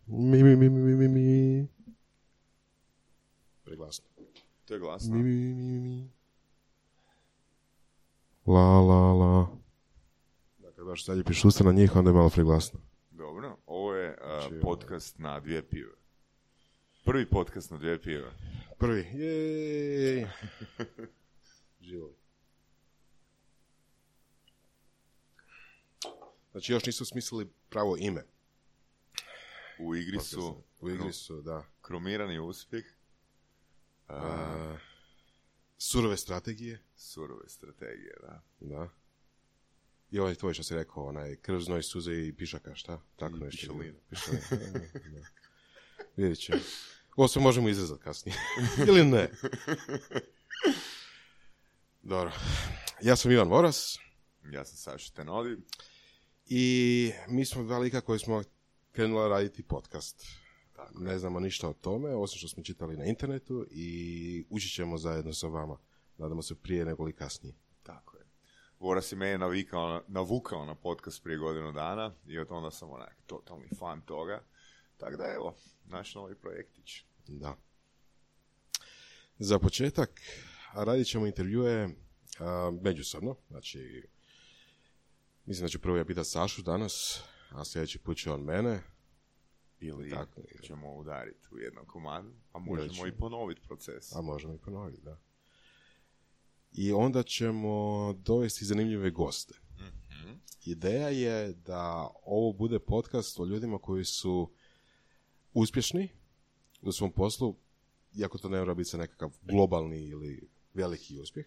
Mi. Preglasno. To je glasno. Mi. La. Dakle, baš sad je pišusta na njih, onda je malo preglasno. Dobro, ovo je podcast na 2 pive. Prvi podcast na 2 pive. Prvi. Jej. Živo. Znači, još nisu smislili pravo ime. U igri su, da. Kromirani uspjeh. Surove strategije, da. I ovaj tvoj što si rekao, onaj krv, znoj, suze i pišaka, šta? Tako nešto. Pišalina. Vidjet će. Ovo sve možemo izrezati kasnije. Ili ne? Dobro. Ja sam Ivan Voras. Ja sam Saša Tenodi. I mi smo dva lika koji smo krenuli raditi podcast. Tako. Ne znamo ništa o tome, osim što smo čitali na internetu i učit ćemo zajedno sa vama. Nadamo se prije nego li kasnije. Tako je. Voras je mene navukao na podcast prije godinu dana i od onda sam onak totalni fan toga. Tako da evo, naš novi projektić. Da. Za početak radit ćemo intervjue međusobno. Znači, mislim da ću prvo ja pitati Sašu danas, a sljedeći put će on mene. Ili tako, ćemo udariti u jednom komadu, a možemo i ponoviti proces. A možemo i ponoviti, da. I onda ćemo dovesti zanimljive goste. Mm-hmm. Ideja je da ovo bude podcast o ljudima koji su uspješni u svom poslu, iako to ne mora biti nekakav globalni ili veliki uspjeh,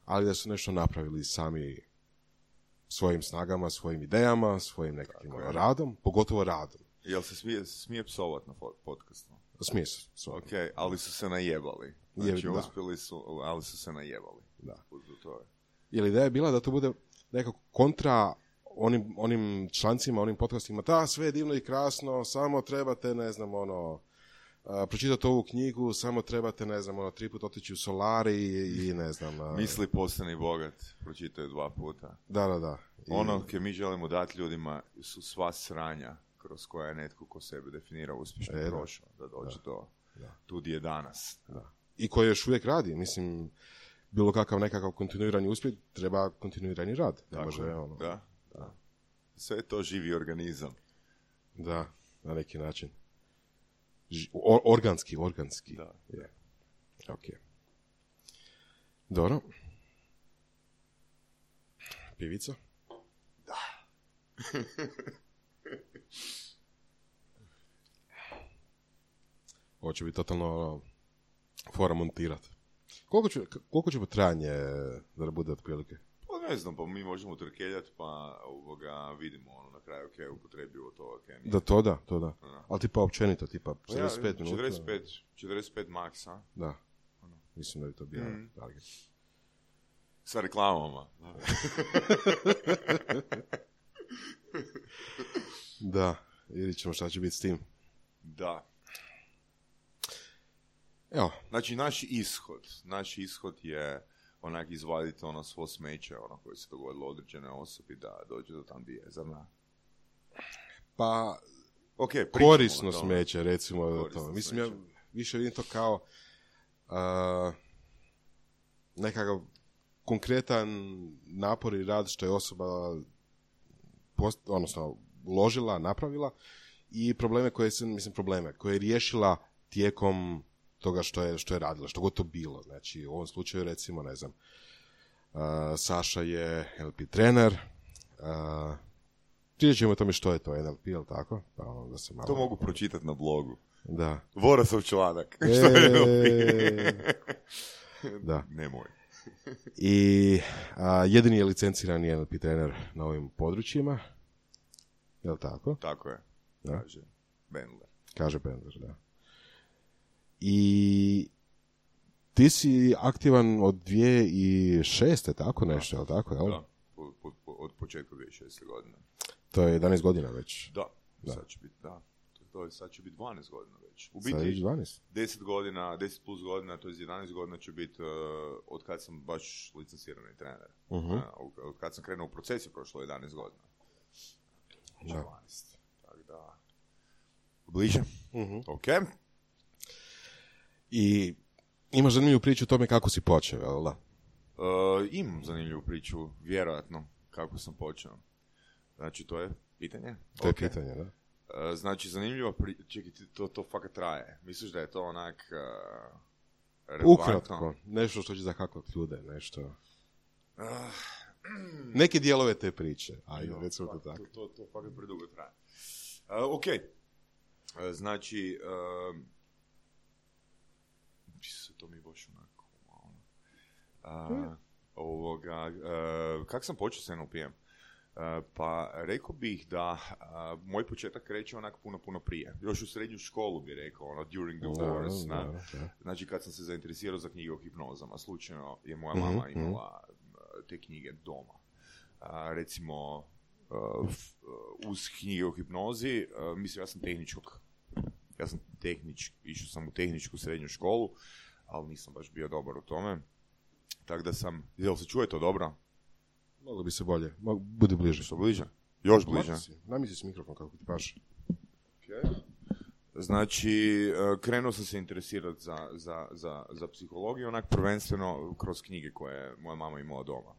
ali da su nešto napravili sami svojim snagama, svojim idejama, svojim nekakvim radom, pogotovo radom. Jel se smije psovat na podcastu? Smije se. Ok, ali su se najebali. Znači, uspjeli su, ali su se najebali. Da. Jer ideja je bila da to bude nekako kontra onim člancima, onim podcastima, da, sve je divno i krasno, samo trebate, ne znam, pročitati ovu knjigu, samo trebate, ne znam, 3 puta otići u solari i ne znam... Misli postani bogat, pročitaju 2 puta. Da. Ono koje mi želimo dati ljudima su sva sranja kroz koja je netko ko sebe definira uspješno prošao, da dođe do tu gdje je danas. Da. I koji još uvijek radi, mislim, bilo kakav nekakav kontinuirani uspjeh, treba kontinuirani rad. Tako, može, da. Sve je to živi organizam. Da, na neki način. Organski. Da. Yeah. Ok. Dobro. Pivica? Da. Ovo će biti totalno fora montirati. Koliko će trajanje da bude otprilike? Pa ne znam, pa mi možemo trkeljati, pa vidimo na kraju je upotrebljivo to. Da, to da. Ali tipa općenito, tipa 45 minuta. 45 max, a? Da. Mislim da bi to bio target. Sa reklamama. Da, vidjet ćemo šta će biti s tim. Da. Evo. Znači, naš ishod je onak izvaditi svo smeće koje se dogodilo određenoj osobi da dođe do tam gdje je, zar ne? Pa, okay, korisno smeće, recimo. To. Mislim, ja više vidim to kao nekakav konkretan napor i rad što je osoba uložila, napravila i probleme koje je riješila tijekom toga što je radila, što god to bilo. Znači, u ovom slučaju, recimo, ne znam, Saša je NLP trener, pričat ćemo o tome što je to NLP, jel tako? Pa onda se malo... To mogu pročitati na blogu. Da. Vorasov članak. Što je NLP? Da. Nemoj. I jedini je licencirani NLP trener na ovim područjima, jel tako? Tako je, da. Kaže Bendler, da. I ti si aktivan od 2006. tako nešto, je li tako? Jel? Da, od početka 2006. godine. To je 11 godina već. Da. Sad će biti, da. To je to je sad će biti 12 godina već. U Sad je biti 12. 10 godina, 10 plus godina, to je 11 godina će biti od kad sam baš licencirani trener. Od kad sam krenuo u proces je prošlo 11 godina. Znači 12. Tako da... Bliže? Ok. I imaš zanimljivu priču o tome kako si počeo, jel da? Imam zanimljivu priču, vjerojatno, kako sam počeo. Znači, to je pitanje? To je pitanje, da. Znači, zanimljivo čekaj, to fakat traje. Misliš da je to onak... Ukratko, nešto što će zahaklat ljude, nešto... Neke dijelove te priče, ajde, recimo to tako. To fakat predugo traje. Ok. Znači... to mi je baš onako kako sam počeo s NLP-em? Pa rekao bih da moj početak kreće onak puno prije. Još u srednju školu bih rekao, during the wars. Znači kad sam se zainteresirao za knjige o hipnozama, slučajno je moja mama imala te knjige doma. Recimo, uz knjige o hipnozi, mislim, išao sam u tehničku srednju školu, ali nisam baš bio dobar u tome. Tako da sam... Jel se čuje to dobro? Moglo bi se bolje. Budi bliže. Što bliže? Još bliže. Namisli si mikrofon kako ti paše. Okay. Znači, krenuo sam se interesirati za psihologiju, onak prvenstveno kroz knjige koje moja mama imala doma.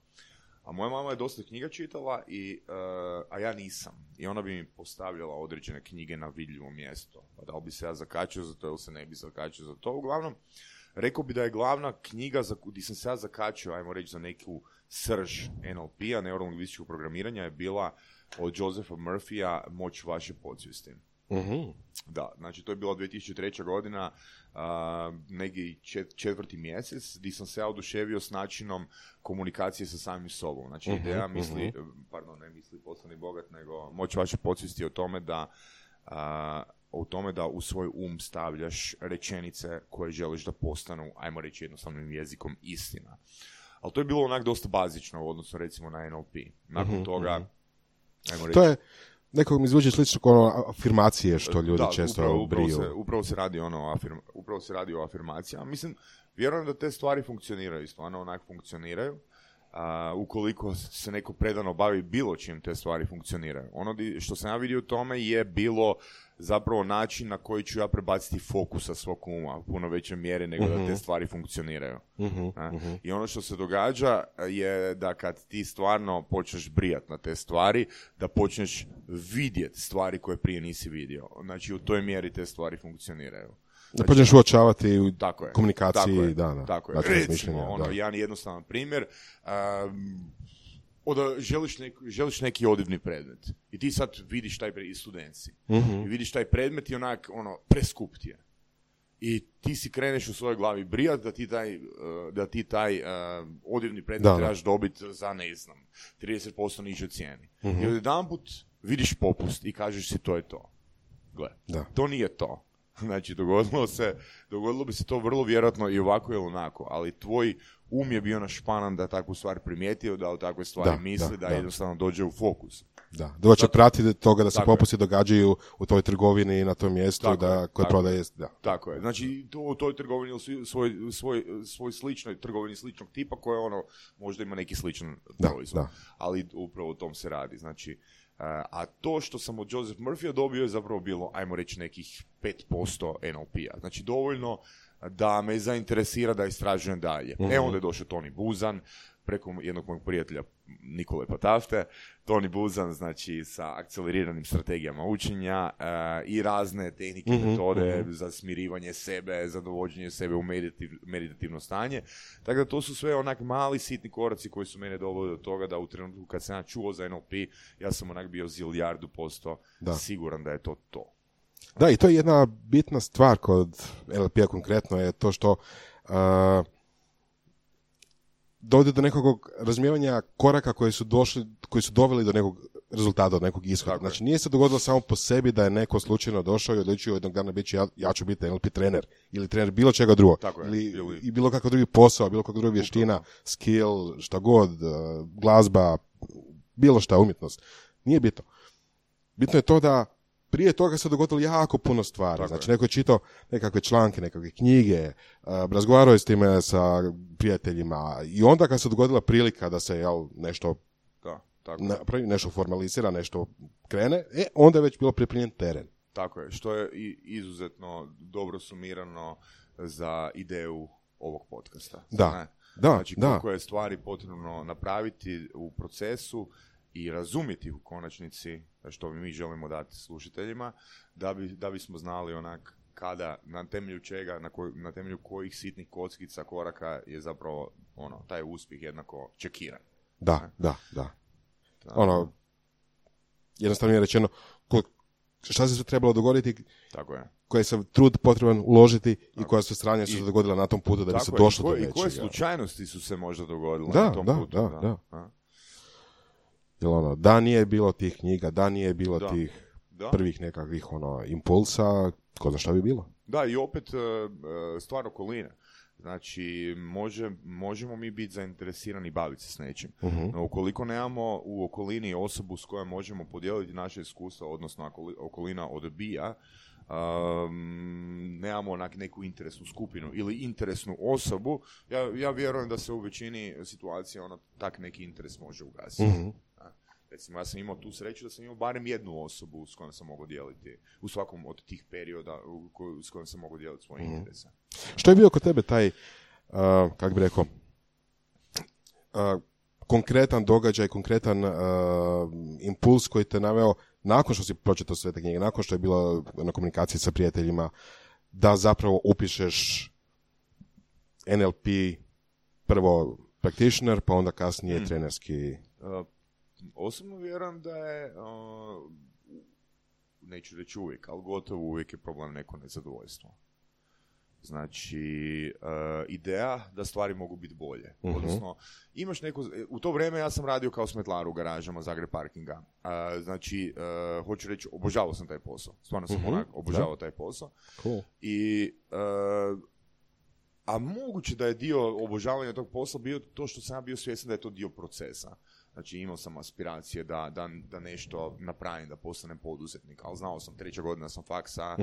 A moja mama je dosta knjiga čitala, a ja nisam. I ona bi mi postavljala određene knjige na vidljivo mjesto. Pa da li bi se ja zakačio za to ili se ne bi zakačio za to. Uglavnom, rekao bi da je glavna knjiga gdje sam se ja zakačio, ajmo reći, za neku srž NLP-a, neurolingvističkog programiranja, je bila od Josepha Murphy-a Moć vaše podsvijesti. Da, znači to je bila 2003. godina, neki 4. mjesec, gdje sam se ja oduševio s načinom komunikacije sa samim sobom. Znači ideja misli poslani bogat, nego Moć vaše podsvijesti o tome da u svoj stavljaš rečenice koje želiš da postanu, ajmo reći jednostavnim jezikom, istina. Ali to je bilo onak dosta bazično u odnosu recimo na NLP. Nakon toga, ajmo reći... To je, nekog mi zvuči slično kao afirmacije što ljudi često briju. Upravo se radi o afirmacijama. Mislim, vjerujem da te stvari funkcioniraju, stvarno onak funkcioniraju. Ukoliko se neko predano bavi bilo čim, te stvari funkcioniraju. Ono što sam ja vidio u tome je bilo zapravo način na koji ću ja prebaciti fokus sa svog uma u puno većoj mjeri nego da te stvari funkcioniraju. I ono što se događa je da kad ti stvarno počneš brijat na te stvari, da počneš vidjeti stvari koje prije nisi vidio. Znači u toj mjeri te stvari funkcioniraju. Znači, počneš uočavati u komunikaciji. Tako je. Recimo, jedan jednostavan primjer, želiš neki odivni predmet i ti sad vidiš taj predmet, i student si, i vidiš taj predmet i onak, preskup ti je. I ti si kreneš u svojoj glavi brijat da ti taj odivni predmet trebaš dobiti za, ne znam, 30% niže cijeni. I odjedanput vidiš popust i kažeš si to je to. Gle, to nije to. Znači, dogodilo bi se to vrlo vjerojatno i ovako ili onako, ali tvoj je bio našpanan da takvu stvar primijetio, da o takve stvari misli, da jednostavno dođe u fokus. Da, doće pratiti toga da se popusti događaju u toj trgovini na tom mjestu koje prodaje. Tako je, znači u toj trgovini ili svoj sličnoj trgovini sličnog tipa koja možda ima neki sličan proizvod, ali upravo o tom se radi, znači. A to što sam od Joseph Murphy-a dobio je zapravo bilo, ajmo reći, nekih 5% NLP-a. Znači dovoljno da me zainteresira da istražujem dalje. Onda je došao Tony Buzan, preko jednog mojeg prijatelja Nikole Patafte. Tony Buzan, znači, sa akceleriranim strategijama učenja i razne tehnike, metode za smirivanje sebe, za dovođenje sebe u meditativno stanje. Tako da to su sve onak mali sitni koraci koji su mene doveli do toga da u trenutku kad sam ja čuo za NLP, ja sam onak bio 1.000.000% siguran da je to to. Da, i to je jedna bitna stvar kod NLP-a konkretno, je to što dovodi do nekog razumijevanja koraka koji su doveli do nekog rezultata, do nekog ishoda. Tako znači, nije se dogodilo samo po sebi da je neko slučajno došao i odlučio jednog dana biti ja ću biti NLP trener ili trener bilo čega drugog. I bilo kakav drugi posao, bilo kakva druga vještina, skill, šta god, glazba, bilo šta, umjetnost. Nije bitno. Bitno je to da prije toga se dogodilo jako puno stvari. Tako znači, je. neko je čitao nekakve članke, nekakve knjige, razgovarao je s time sa prijateljima i onda kad se dogodila prilika da se nešto Da, tako. napravi, nešto formalizira, nešto krene, onda je već bilo pripremljen teren. Tako je, što je izuzetno dobro sumirano za ideju ovog podcasta. Da, Ne? da, Znači, da. koliko je stvari potrebno napraviti u procesu i razumjeti u konačnici što mi želimo dati slušateljima, da bismo znali onak kada, na temelju čega, na temelju kojih sitnih kockica, koraka je zapravo taj uspjeh jednako čekiran. Da. Jednostavno je rečeno šta se sve trebalo dogoditi, Tako je. koji se trud potreban uložiti Tako. i koja su stranja su se dogodila na tom putu da bi se Tako došlo do je. nečega. I koje slučajnosti su se možda dogodile Da, na tom da, putu. da. Jer da nije bilo tih knjiga, da nije bilo Da. tih Da. prvih nekakvih impulsa, ko zna šta bi bilo. Da, i opet stvar okoline. Znači, možemo mi biti zainteresirani baviti se s nečim. Uh-huh. No, ukoliko nemamo u okolini osobu s kojom možemo podijeliti naše iskustva, odnosno ako okolina odbija, nemamo neku interesnu skupinu ili interesnu osobu, ja vjerujem da se u većini situacija tak neki interes može ugasiti. Uh-huh. Recimo, ja sam imao tu sreću da sam imao barem jednu osobu s kojom sam mogao dijeliti u svakom od tih perioda s kojom sam mogao dijeliti svoje interese. Što je bio kod tebe taj, kako bi rekao, konkretan događaj, konkretan impuls koji te naveo nakon što si pročitao sve te knjige, nakon što je bilo na komunikaciji sa prijateljima, da zapravo upišeš NLP, prvo practitioner, pa onda kasnije trenerski... Osobno vjerujem da je, neću reći uvijek, ali gotovo uvijek je problem neko nezadovoljstvo. Znači, ideja da stvari mogu biti bolje. Uh-huh. Odnosno, imaš neko... U to vrijeme ja sam radio kao smetlar u garažama Zagreb parkinga. Znači, hoću reći, obožavao sam taj posao. Stvarno sam obožavao taj posao. Cool. I... a moguće da je dio obožavanja tog posla bio to što sam ja bio svjestan da je to dio procesa. Znači, imao sam aspiracije da nešto napravim, da postanem poduzetnik, ali znao sam, 3. godina sam faksa,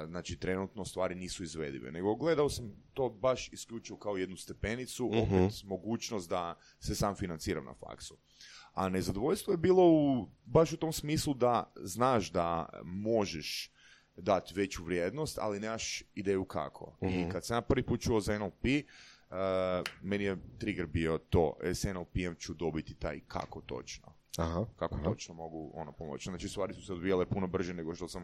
znači, trenutno stvari nisu izvedive. Nego gledao sam to baš isključivo kao jednu stepenicu, opet mogućnost da se sam financiram na faksu. A nezadovoljstvo je bilo baš u tom smislu da znaš da možeš dati veću vrijednost, ali nemaš ideju kako. I kad sam ja prvi put čuo za NLP, meni je trigger bio to, s NLP-em ću dobiti taj kako točno. Kako točno mogu pomoći. Znači, stvari su se odvijale puno brže nego što sam...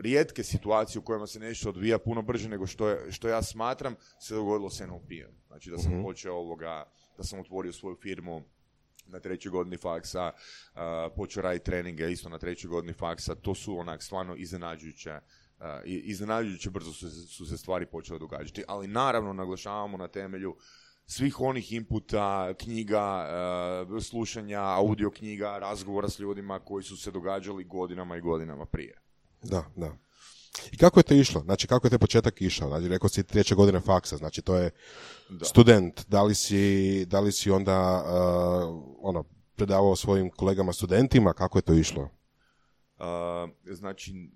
Rijetke situacije u kojima se nešto odvija puno brže nego što ja smatram se dogodilo s NLP-em. Znači, da sam počeo da sam otvorio svoju firmu na 3. godini faksa, počeo raditi treninge isto na 3. godini faksa, to su stvarno iznenađujuće brzo su se stvari počele događati, ali naravno naglašavamo na temelju svih onih inputa, knjiga, slušanja, audio knjiga, razgovora s ljudima koji su se događali godinama i godinama prije. Da. I kako je to išlo? Znači, kako je te početak išao? Znači, rekao si 3. godine faksa, znači to je student. Da li si onda predavao svojim kolegama studentima? Kako je to išlo? Znači,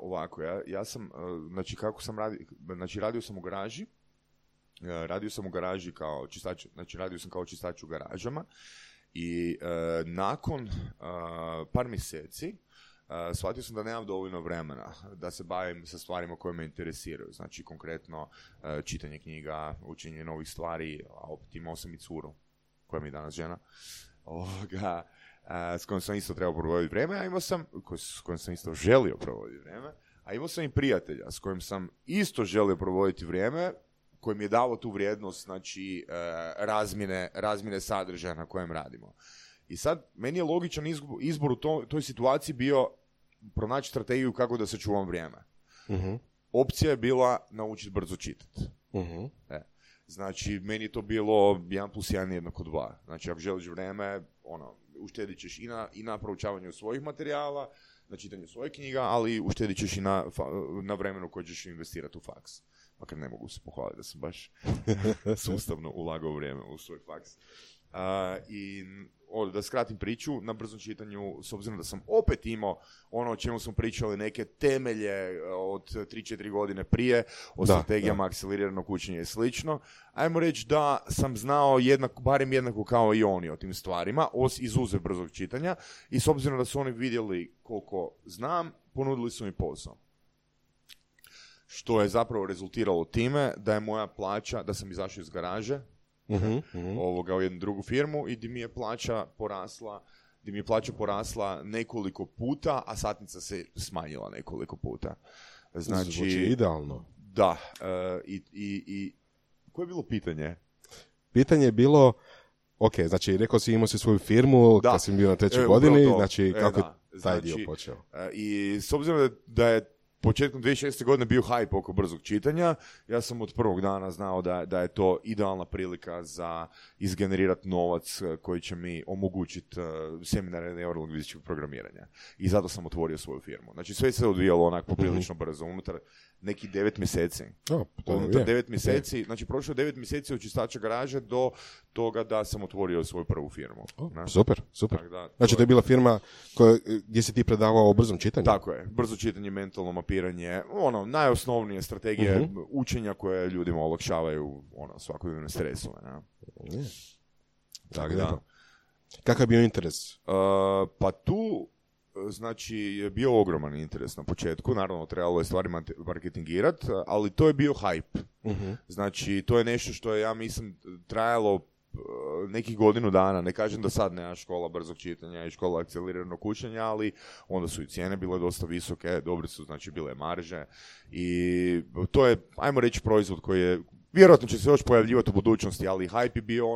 ovako, ja sam, znači, kako sam radio, znači, radio sam u garaži kao čistač, znači, radio sam kao čistač u garažama i nakon par mjeseci shvatio sam da nemam dovoljno vremena da se bavim sa stvarima koje me interesiraju. Znači, konkretno, čitanje knjiga, učenje novih stvari, a opet imao sam i curu, koja mi je danas žena, s kojom sam isto trebao provoditi vrijeme, s kojom sam isto želio provoditi vrijeme, a imao sam i prijatelja s kojim sam isto želio provoditi vrijeme, koji mi je dao tu vrijednost, znači, razmjene sadržaja na kojem radimo. I sad, meni je logičan izbor u toj situaciji bio pronaći strategiju kako da sačuvam vrijeme. Uh-huh. Opcija je bila naučiti brzo čitati. Uh-huh. Znači, meni je to bilo 1+1 jednako 2. Znači, ako želiš vrijeme, uštedit ćeš i na proučavanju svojih materijala, na čitanju svojih knjiga, ali uštedit ćeš i na vremenu koje ćeš investirati u faks. Makar ne mogu se pohvaliti da sam baš sustavno ulagao vrijeme u svoj faks. I da skratim priču, na brzom čitanju, s obzirom da sam opet imao ono o čemu smo pričali, neke temelje od 3-4 godine prije, o strategijama akceleriranog učenja i slično, ajmo reći da sam znao barem jednako kao i oni o tim stvarima, izuzev brzog čitanja, i s obzirom da su oni vidjeli koliko znam, ponudili su mi posao. Što je zapravo rezultiralo time da je moja plaća, da sam izašao iz garaže, u jednu drugu firmu, i di mi je plaća porasla nekoliko puta, a satnica se smanjila nekoliko puta. Znači, zvuči idealno. Da. I koje je bilo pitanje? Pitanje je bilo, ok, znači rekao si imao si svoju firmu kad si bio na 3. godini, znači kako je taj dio počeo? I s obzirom da je početkom 2006. godine bio hype oko brzog čitanja, ja sam od prvog dana znao da je to idealna prilika za izgenerirati novac koji će mi omogućiti seminare neurolingvističkog programiranja. I zato sam otvorio svoju firmu. Znači sve se odvijalo onako poprilično brzo, unutar nekih 9 mjeseci. Unutar 9 mjeseci, znači prošlo 9 mjeseci od čistača garaže do toga da sam otvorio svoju prvu firmu. Super. Znači to je bila firma gdje si ti predavao o brzom čitanju? Tako je, brzo čitanje, mentalno mapiranje, najosnovnije strategije učenja koje ljudima olakšavaju svakodnevne stresove. Tako da. Kakav je bio interes? Pa tu, znači, je bio ogroman interes na početku, naravno trebalo je stvari marketingirati, ali to je bio hype. Znači, to je nešto što je, ja mislim, trajalo nekih godinu dana. Ne kažem da sad nema škola brzog čitanja i škola akceleriranog učenja, ali onda su i cijene bile dosta visoke, dobre su, znači, bile marže, i to je, ajmo reći, proizvod koji je, vjerojatno će se još pojavljivati u budućnosti, ali hype je bio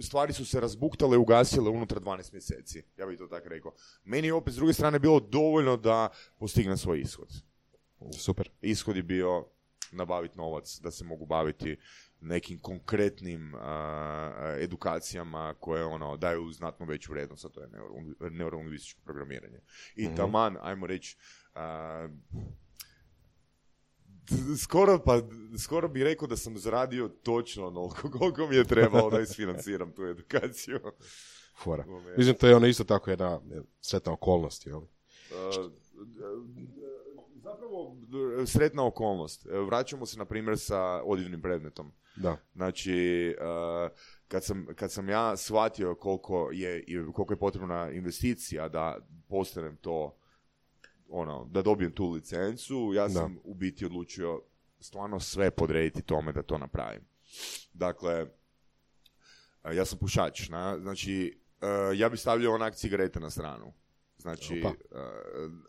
stvari su se razbuktale, ugasile unutar 12 mjeseci, ja bih to tako rekao. Meni je opet s druge strane bilo dovoljno da postignem svoj ishod. Super. Ishod je bio nabaviti novac, da se mogu baviti nekim konkretnim edukacijama koje daju znatno veću vrijednost, a to je neurolingvističko programiranje. I taman, ajmo reći, skoro bih rekao da sam zaradio točno onoliko koliko mi je trebalo da isfinanciram tu edukaciju. Fora. Mislim, to je isto tako jedna sretna okolnost, jel? Zapravo, sretna okolnost. Vraćamo se, na primjer, sa odjevnim predmetom. Da. Znači, kad sam ja shvatio koliko je potrebna investicija da postanem to, da dobijem tu licencu, ja sam u biti odlučio stvarno sve podrediti tome da to napravim. Dakle, ja sam pušač, znači, ja bi stavljao onak cigarete na stranu. Znači,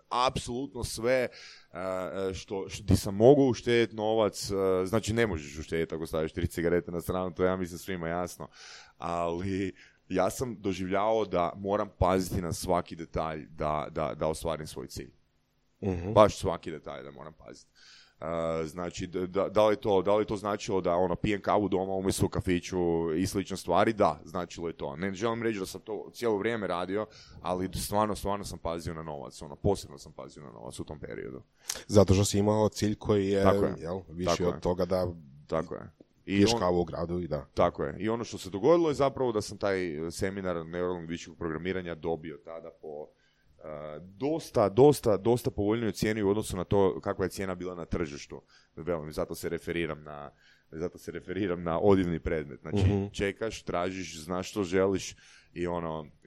apsolutno sve što ti sam mogu uštediti novac, znači ne možeš uštediti ako staviš 3 cigarete na stranu, to ja mislim svima jasno, ali ja sam doživljavao da moram paziti na svaki detalj da ostvarim svoj cilj. Baš svaki detalj da moram paziti. Znači, da li to značilo da pijem kavu doma umjesto u kafiću i slične stvari? Da, značilo je to. Ne želim reći da sam to cijelo vrijeme radio, ali stvarno sam pazio na novac. Posebno sam pazio na novac u tom periodu. Zato što si imao cilj koji je više od toga da piješ kavu u gradu i da. Tako je. I ono što se dogodilo je zapravo da sam taj seminar neurolingvističkog programiranja dobio tada po dosta povoljniju cijeni u odnosu na to kakva je cijena bila na tržištu. Zato se referiram na odjevni predmet. Znači, čekaš, tražiš, znaš što želiš i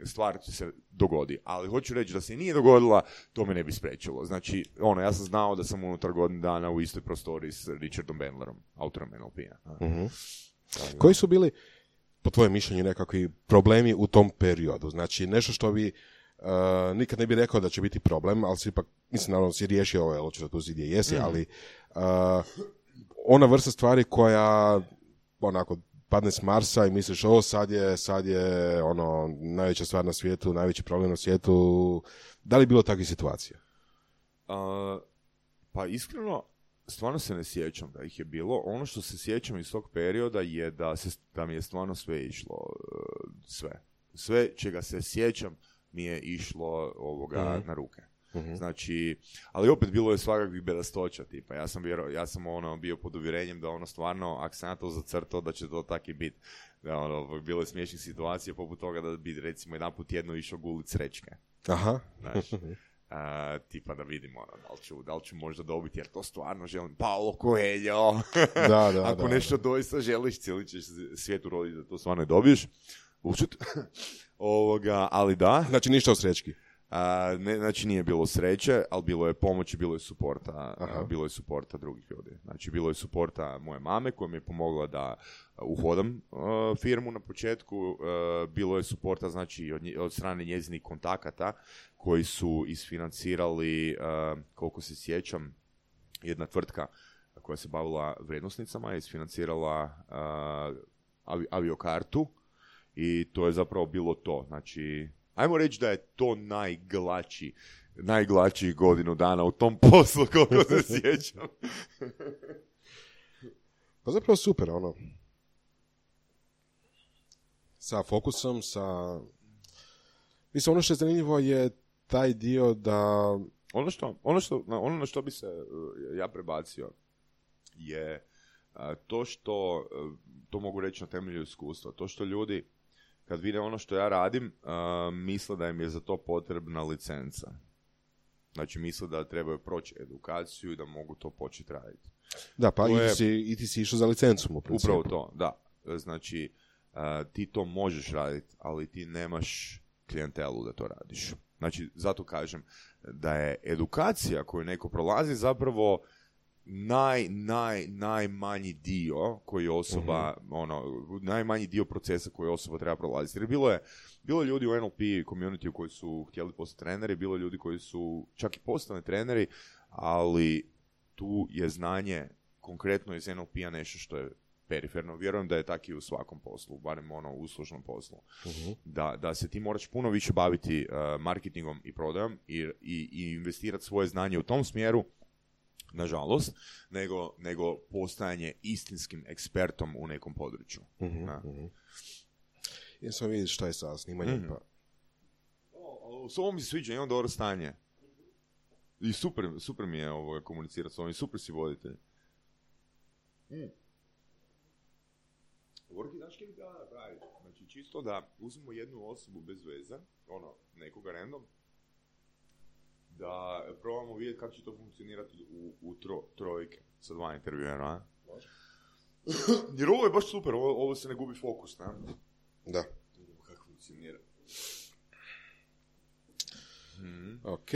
stvar ti se dogodi. Ali hoću reći da se nije dogodila, to me ne bi spriječilo. Znači, ja sam znao da sam unutar godinu dana u istoj prostoriji s Richardom Bandlerom, autorom NLP-a. Koji su bili, po tvojem mišljenju, nekakvi problemi u tom periodu? Znači, nešto što bi nikad ne bi rekao da će biti problem, ali si ipak, mislim, naravno si riješio ovo, očito tu si gdje jesi, ali ona vrsta stvari koja onako padne s Marsa i misliš, sad je najveća stvar na svijetu, najveći problem na svijetu. Da li je bilo takvih situacija? Pa iskreno, stvarno se ne sjećam da ih je bilo. Ono što se sjećam iz tog perioda je da mi je stvarno sve išlo, sve čega se sjećam mi je išlo na ruke. Znači, ali opet bilo je svakakvih bedastoća, tipa, ja sam bio pod uvjerenjem da stvarno, ako sam ja to zacrtao, da će to tako i biti. Bilo je smiješnih situacija poput toga da bi, recimo, jedan put jedno išao gulit srećke. Aha. Znači, tipa da vidimo da li ću možda dobiti, jer to stvarno želim. Paolo Coelho. Ako nešto doista želiš, cijeli ćeš svijet uroditi da to stvarno i dobiješ. Ali da. Znači ništa o srećki. Znači nije bilo sreće, ali bilo je pomoći, bilo je suporta drugih ljudi. Znači bilo je suporta moje mame koja mi je pomogla da uhodam firmu na početku, bilo je suporta znači od strane njezinih kontakata koji su isfinancirali, koliko se sjećam, jedna tvrtka koja se bavila vrijednosnicama je isfinancirala aviokartu i to je zapravo bilo to. Znači, ajmo reći da je to najglačiji godinu dana u tom poslu, koliko se sjećam. Pa zapravo super, sa fokusom, mislim, ono što je zanimljivo je taj dio da... Ono na što bi se ja prebacio je to što, to mogu reći na temelju iskustva, to što ljudi kad vide ono što ja radim, misle da im je za to potrebna licenca. Znači, misle da trebaju proći edukaciju i da mogu to početi raditi. Da, pa i ti si išao za licencu. Upravo to, da. Znači, ti to možeš raditi, ali ti nemaš klijentelu da to radiš. Znači, zato kažem da je edukacija koju neko prolazi zapravo najmanji dio koji osoba, najmanji dio procesa koji osoba treba prolaziti. Jer bilo je ljudi u NLP community koji su htjeli postati treneri, bilo je ljudi koji su čak i postali treneri, ali tu je znanje konkretno iz NLP-a nešto što je periferno. Vjerujem da je tako i u svakom poslu, barem u uslužnom poslu. Da se ti moraš puno više baviti marketingom i prodajom i investirati svoje znanje u tom smjeru, nažalost, nego postajanje istinskim ekspertom u nekom području. Ja sam vidio šta je sa snimanjem. S ovom mi se sviđa, imam dobro stanje. I super mi je komunicirati s ovim, super si voditelj. Vorki, znaš kaj bi treba napraviti? Znači, čisto da uzmemo jednu osobu bez veze, nekoga random, da probamo vidjeti kako će to funkcionirati u trojke sa 2 intervjuera. Jer ovo je baš super, ovo se ne gubi fokus, ne? Da. Kako funkcionira. Ok.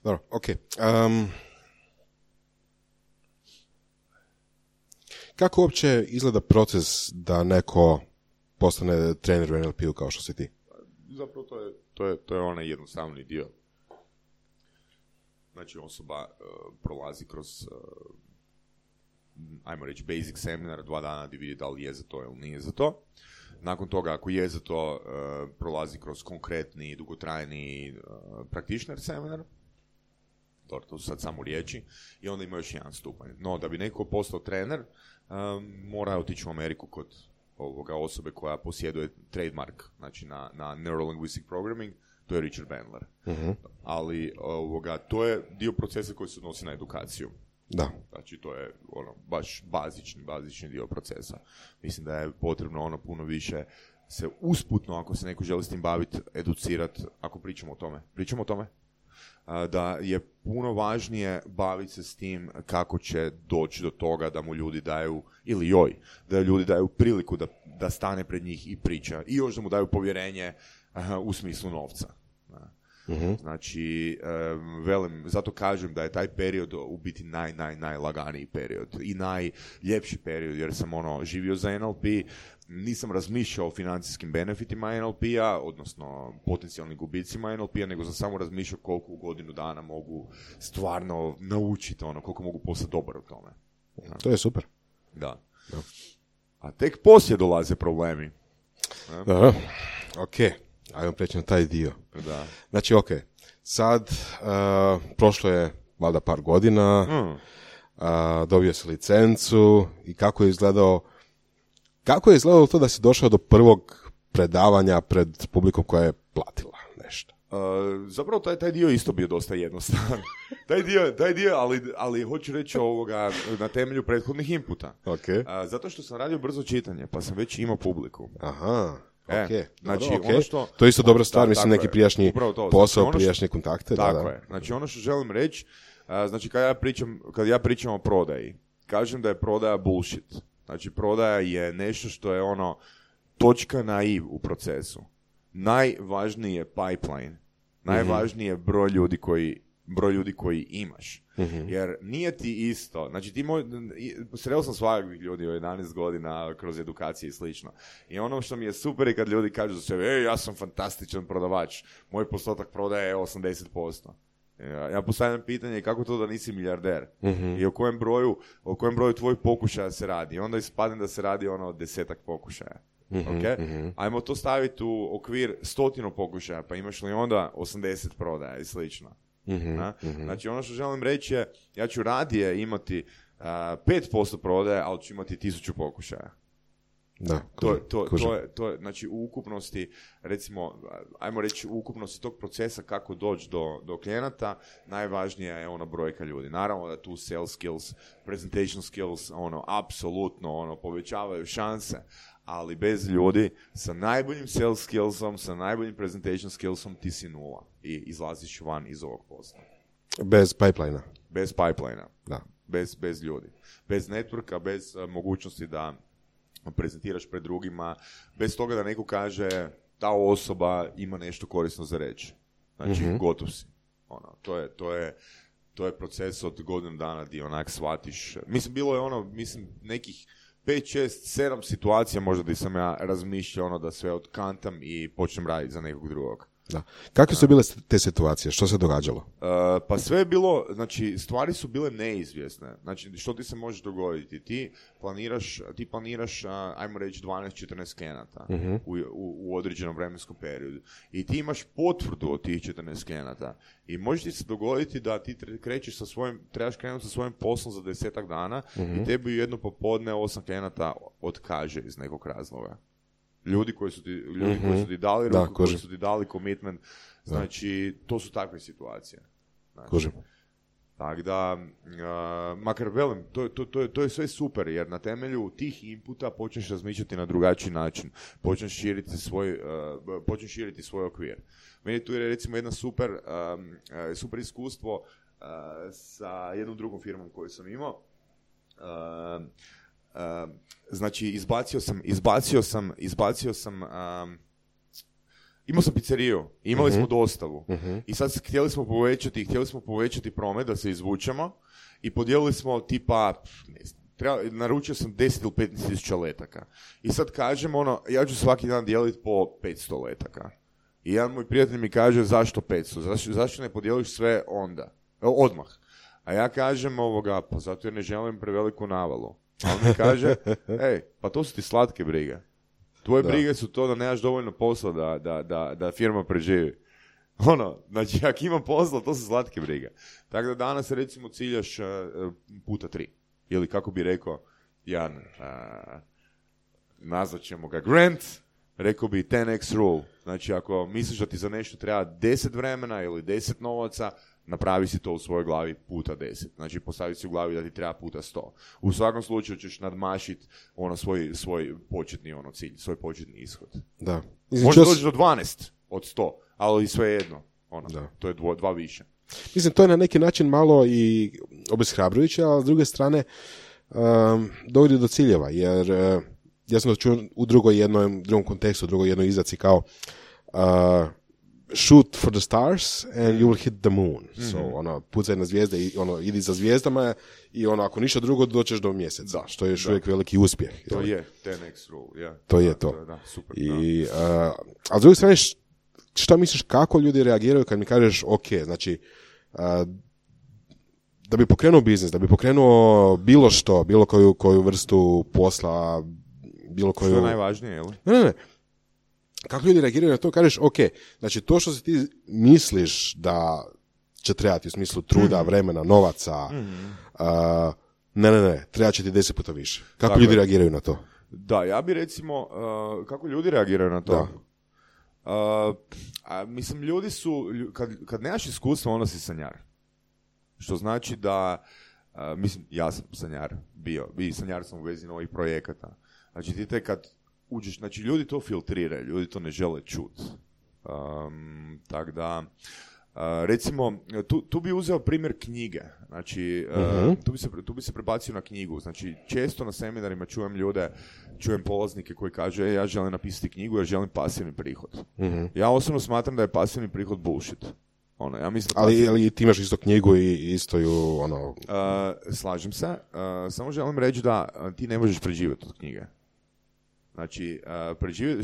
Dobro, ok. Kako uopće izgleda proces da neko postane trener u NLP-u kao što si ti? Zapravo to je onaj jednostavni dio. Znači osoba prolazi kroz ajmo reći basic seminar 2 dana da vidi da li je za to ili nije za to. Nakon toga, ako je za to, prolazi kroz konkretni, dugotrajni practitioner seminar. To su sad samo riječi. I onda ima još jedan stupanj. No, da bi neko postao trener, mora otići u Ameriku kod osobe koja posjeduje trademark, znači na Neuro-Linguistic Programming, to je Richard Bandler. Ali to je dio procesa koji se odnosi na edukaciju. Da. Znači to je baš bazični dio procesa. Mislim da je potrebno puno više se usputno, ako se neko želi s tim baviti, educirati, ako pričamo o tome. Da je puno važnije baviti se s tim kako će doći do toga da mu ljudi daju, ili joj, da ljudi daju priliku da stane pred njih i priča. I još da mu daju povjerenje u smislu novca. Znači, zato kažem da je taj period u biti najlaganiji period i najljepši period, jer sam živio za NLP, nisam razmišljao o financijskim benefitima NLP-a, odnosno potencijalnim gubicima NLP-a, nego sam samo razmišljao koliko u godinu dana mogu stvarno naučiti, koliko mogu postati dobar u tome. To je super. Da. A tek poslije dolaze problemi. Ok. Ajmo preći na taj dio. Da. Znači, ok, sad prošlo je valjda par godina, dobio se licencu i kako je Kako je izgledalo to da si došao do prvog predavanja pred publikom koja je platila nešto? Zapravo taj dio isto bio dosta jednostavan. taj dio, ali hoću reći ovoga na temelju prethodnih inputa. Okay. Zato što sam radio brzo čitanje, pa sam već imao publiku. Aha. Okay. Znači, dobro, okay. Ono što, to je isto dobra stvar, mislim neki prijašnji posao, znači, prijašnje kontakte. Tako je. Znači ono što želim reći, znači kad ja pričam o prodaji, kažem da je prodaja bullshit. Znači prodaja je nešto što je ono točka na i u procesu. Najvažniji je pipeline. Najvažniji je broj ljudi koji imaš. Jer nije ti isto. Znači sreo sam svakakvih ljudi u 11 godina kroz edukacije i slično. I ono što mi je super je kad ljudi kažu za sebe, ja sam fantastičan prodavač. Moj postotak prodaje je 80%. Ja postavljam pitanje kako to da nisi milijarder i o kojem broju tvojih pokušaja se radi. I onda ispadne da se radi ono 10 pokušaja. Okay? Ajmo to staviti u okvir 100 pokušaja, pa imaš li onda 80 prodaja i slično. Znači ono što želim reći je, ja ću radije imati 5% prodaje, ali ću imati 1000 pokušaja. Da, to je, znači u ukupnosti, recimo, ajmo reći u ukupnosti tog procesa kako doći do klijenata, najvažnija je ono brojka ljudi. Naravno da tu sales skills, presentation skills, apsolutno povećavaju šanse, ali bez ljudi sa najboljim sales skillsom, sa najboljim presentation skillsom ti si nula i izlaziš van iz ovog posla. Bez pipeline-a. Bez pipeline-a. Da. Bez ljudi. Bez networka, bez mogućnosti da prezentiraš pred drugima, bez toga da neko kaže ta osoba ima nešto korisno za reći. Znači, gotov si. To je proces od godinu dana gdje onak shvatiš. Mislim, bilo je nekih 5, 6, 7 situacija možda da sam ja razmišljao da sve otkantam i počnem raditi za nekog drugog. Da. Kakve su bile te situacije? Što se događalo? Pa sve je bilo, znači stvari su bile neizvjesne. Znači što ti se može dogoditi? Ti planiraš ajmo reći 12-14 klijenata u određenom vremenskom periodu. I ti imaš potvrdu od tih 14 klijenata. I može ti se dogoditi da ti trebaš krenuti sa svojim poslom za 10 dana i tebi jedno popodne 8 klijenata otkaže iz nekog razloga. Ljudi koji su ti dali ruku, koji su ti dali commitment, znači to su takve situacije. Znači, tako da, makar velim, to je sve super, jer na temelju tih inputa počneš razmišljati na drugačiji način, počneš širiti svoj okvir. Meni tu je recimo jedna super iskustvo sa jednom drugom firmom koju sam imao. Znači, izbacio sam imao sam pizzeriju, imali smo dostavu i sad htjeli smo povećati promet da se izvučemo i podijelili smo tipa, ne znam, naručio sam 10 ili 15 tisuća letaka i sad kažem ja ću svaki dan dijeliti po 500 letaka i jedan moj prijatelj mi kaže zašto 500, zašto ne podijeliš sve odmah, a ja kažem pa zato jer ne želim preveliku navalu. A on mi kaže, pa to su ti slatke brige. Tvoje brige su to da nemaš dovoljno posla da firma preživi. Znači, ako ima posla, to su slatke brige. Tako da danas, recimo, ciljaš puta 3. Ili kako bi rekao Jan, nazvat ćemo ga Grant, rekao bi 10x rule. Znači, ako misliš da ti za nešto treba 10 vremena ili 10 novaca, napravi si to u svojoj glavi puta 10. Znači, postavi si u glavi da ti treba puta 100. U svakom slučaju ćeš nadmašiti svoj početni cilj, svoj početni ishod. Da. Može doći do 12 od 100, ali sve jedno. To je 2 više. Mislim, to je na neki način malo i obeshrabrujuće, ali s druge strane dovodi do ciljeva, jer ja sam to čuo u drugom kontekstu, u drugoj jednoj izraci kao shoot for the stars and you will hit the moon. So, pucaj na zvijezde i idi za zvijezdama i ako ništa drugo doćeš do mjeseca, što je još uvijek veliki uspjeh. To je 10x rule, yeah. To je to. Da, super. A s druge strane, šta misliš kako ljudi reagiraju kad mi kažeš znači da bi pokrenuo biznis, da bi pokrenuo bilo što, bilo koju vrstu posla, bilo koju... Što je najvažnije, je li? Ne. Kako ljudi reagiraju na to, kažeš, znači to što se ti misliš da će trebati u smislu truda, vremena, novaca, ne, treba će ti 10 puta više. Kako ljudi reagiraju na to? Da, ja bi recimo, kako ljudi reagiraju na to? Mislim, ljudi su, kad nemaš iskustva, onda si sanjar. Što znači da, mislim, ja sam sanjar bio, i sanjar sam u vezi novih projekata. Znači, ti tek kad uđeš, znači, ljudi to filtriraju, ljudi to ne žele čuti. Tako da, recimo, tu bi uzeo primjer knjige. Znači, tu bi se prebacio na knjigu. Znači, često na seminarima čujem polaznike koji kažu, ja želim napisati knjigu, ja želim pasivni prihod. Ja osobno smatram da je pasivni prihod bullshit. Ja mislim ali ti imaš isto knjigu i isto ju, slažem se. Samo želim reći da ti ne možeš preživjeti od knjige. Znači,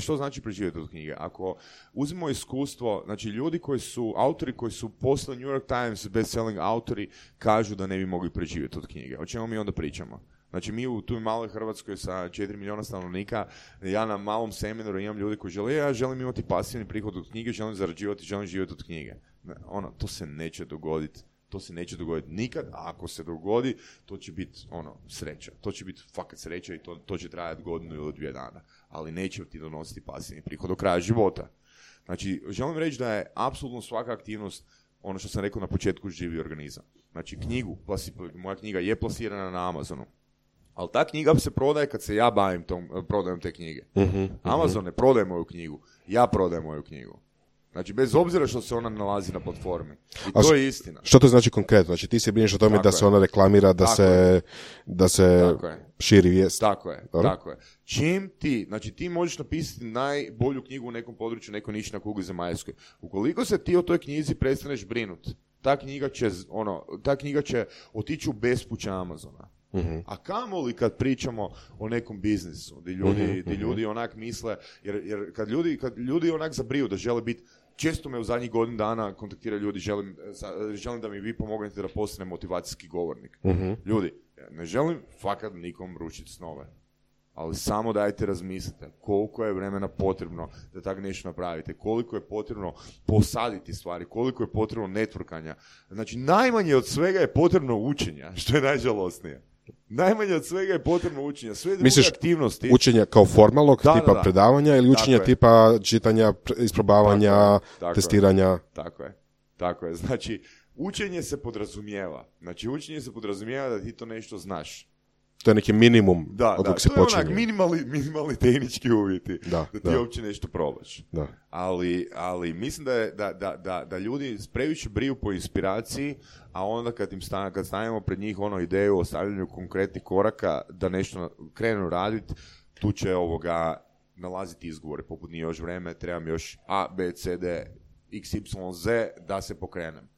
što znači preživjeti od knjige? Ako uzmemo iskustvo, znači ljudi autori koji su postali New York Times best-selling autori, kažu da ne bi mogli preživjeti od knjige. O čemu mi onda pričamo? Znači, mi u toj maloj Hrvatskoj sa 4 milijuna stanovnika, ja na malom seminaru imam ljudi koji žele, ja želim imati pasivni prihod od knjige, želim zarađivati, želim živjeti od knjige. To se neće dogoditi. To se neće dogoditi nikad, a ako se dogodi, to će biti sreća. To će biti fakat sreća i to će trajati godinu ili 2 dana. Ali neće ti donositi pasivni prihod do kraja života. Znači, želim reći da je apsolutno svaka aktivnost, ono što sam rekao na početku, živi organizam. Znači, moja knjiga je plasirana na Amazonu. Ali ta knjiga se prodaje kad se ja bavim prodajom te knjige. Amazon ne prodaje moju knjigu, ja prodajem moju knjigu. Znači, bez obzira što se ona nalazi na platformi. I to je istina. Što to znači konkretno? Znači, ti se brineš o tome da se ona reklamira, da se širi vijest. Tako je. Čim ti možeš napisati najbolju knjigu u nekom području, nekoj niši na kugli zemaljskoj. Ukoliko se ti o toj knjizi prestaneš brinuti, ta knjiga će otići u bespuće Amazona. A kamoli kad pričamo o nekom biznisu, gdje ljudi onak misle, jer kad ljudi onak zabriju da žele biti, često me u zadnjih godinu dana kontaktiraju ljudi, želim da mi vi pomognete da postanem motivacijski govornik. Ljudi, ne želim fakat nikom rušiti snove, ali samo dajte razmislite koliko je vremena potrebno da tako nešto napravite, koliko je potrebno posaditi stvari, koliko je potrebno networkanja. Znači, najmanje od svega je potrebno učenja, što je najžalosnije. Najmanje od svega je potrebno učenja. Sve druge aktivnosti. Učenja kao formalnog tipa predavanja ili učenja tipa čitanja, isprobavanja, testiranja? Tako je. Znači, učenje se podrazumijeva. Da ti to nešto znaš. To je neki minimum od dok se počinje. To je onak minimalni tehnički uvjeti da ti uopće nešto probaš. Da. Ali mislim da ljudi previše briju po inspiraciji, a onda kad stavimo pred njih ideju o stavljanju konkretnih koraka da nešto krenu raditi, tu će nalaziti izgovore poput nije još vreme, trebam još A, B, C, D, X, Y, Z da se pokrenem.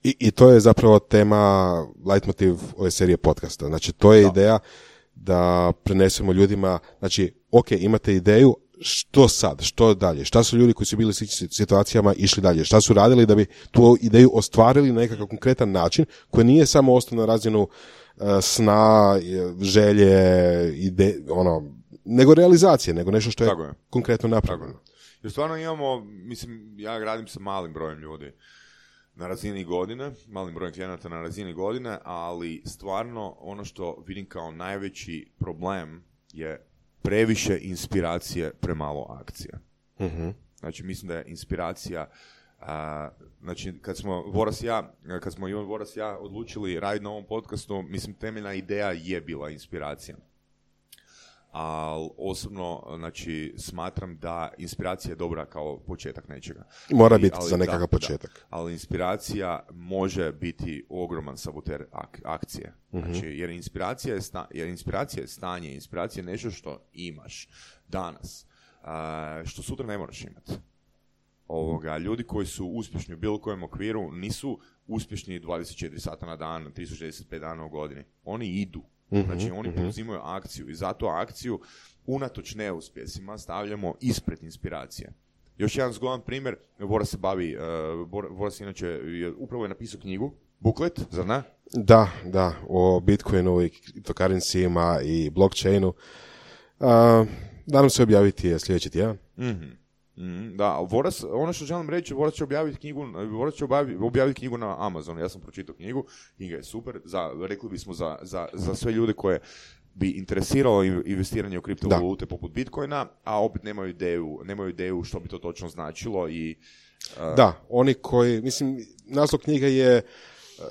I to je zapravo tema, leitmotiv ove serije podcasta. Znači, to je ideja da prenesemo ljudima, znači, ok, imate ideju, što sad, što dalje, šta su ljudi koji su bili u sličnim situacijama išli dalje, šta su radili da bi tu ideju ostvarili na nekakav konkretan način, koji nije samo ostao na razinu sna, želje, nego realizacije, nego nešto što je konkretno napravljeno. Jer stvarno imamo, ja radim sa malim brojem ljudi na razini godine, malim brojem klijenata na razini godine, ali stvarno ono što vidim kao najveći problem je previše inspiracije, premalo akcija. Znači, mislim da je inspiracija, znači, kad smo Voras i ja odlučili raditi na ovom podcastu, mislim, temeljna ideja je bila inspiracija. Ali osobno, znači, smatram da inspiracija je dobra kao početak nečega. Mora biti za nekakav početak. Ali inspiracija može biti ogroman saboter akcije. Znači, jer inspiracija je stanje, inspiracija je nešto što imaš danas, što sutra ne moraš imati. Ljudi koji su uspješni u bilo kojem okviru nisu uspješni 24 sata na dan, 365 dana u godini. Oni idu. Znači, oni poduzimaju akciju i zato akciju unatoč neuspjesima stavljamo ispred inspiracije. Još jedan zgodan primjer, Voras inače upravo je napisao knjigu, buklet, zar ne? Da, o Bitcoinu i cryptocurrencyjima i blockchainu. Nadam se objaviti sljedeći tjedan. Da, Voras, ono što želim reći, Voras će objaviti knjigu na Amazonu. Ja sam pročitao knjiga je super, rekli bismo za sve ljude koje bi interesiralo investiranje u kriptovalute poput Bitcoina, a opet nemaju ideju što bi to točno značilo i... Da, oni koji, mislim, naslov knjige je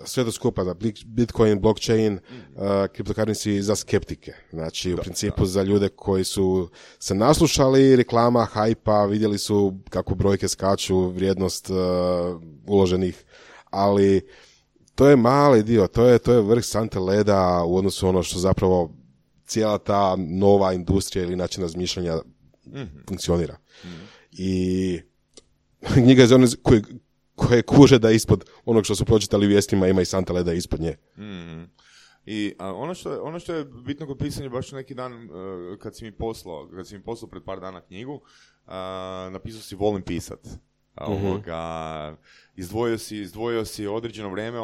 sve to skupa, da Bitcoin, blockchain, cryptocurrency za skeptike. Znači, u principu za ljude koji su se naslušali reklama, hajpa, vidjeli su kako brojke skaču, vrijednost uloženih, ali to je mali dio, to je vrh sante leda u odnosu ono što zapravo cijela ta nova industrija ili način razmišljanja funkcionira. I knjiga je za one koje kuže da ispod onog što su pročitali u vijestima ima i santa leda ispod nje. I ono što je bitno kod pisanja, baš neki dan kad si mi poslao pred par dana knjigu, napisao si volim pisat. Izdvojio si određeno vrijeme,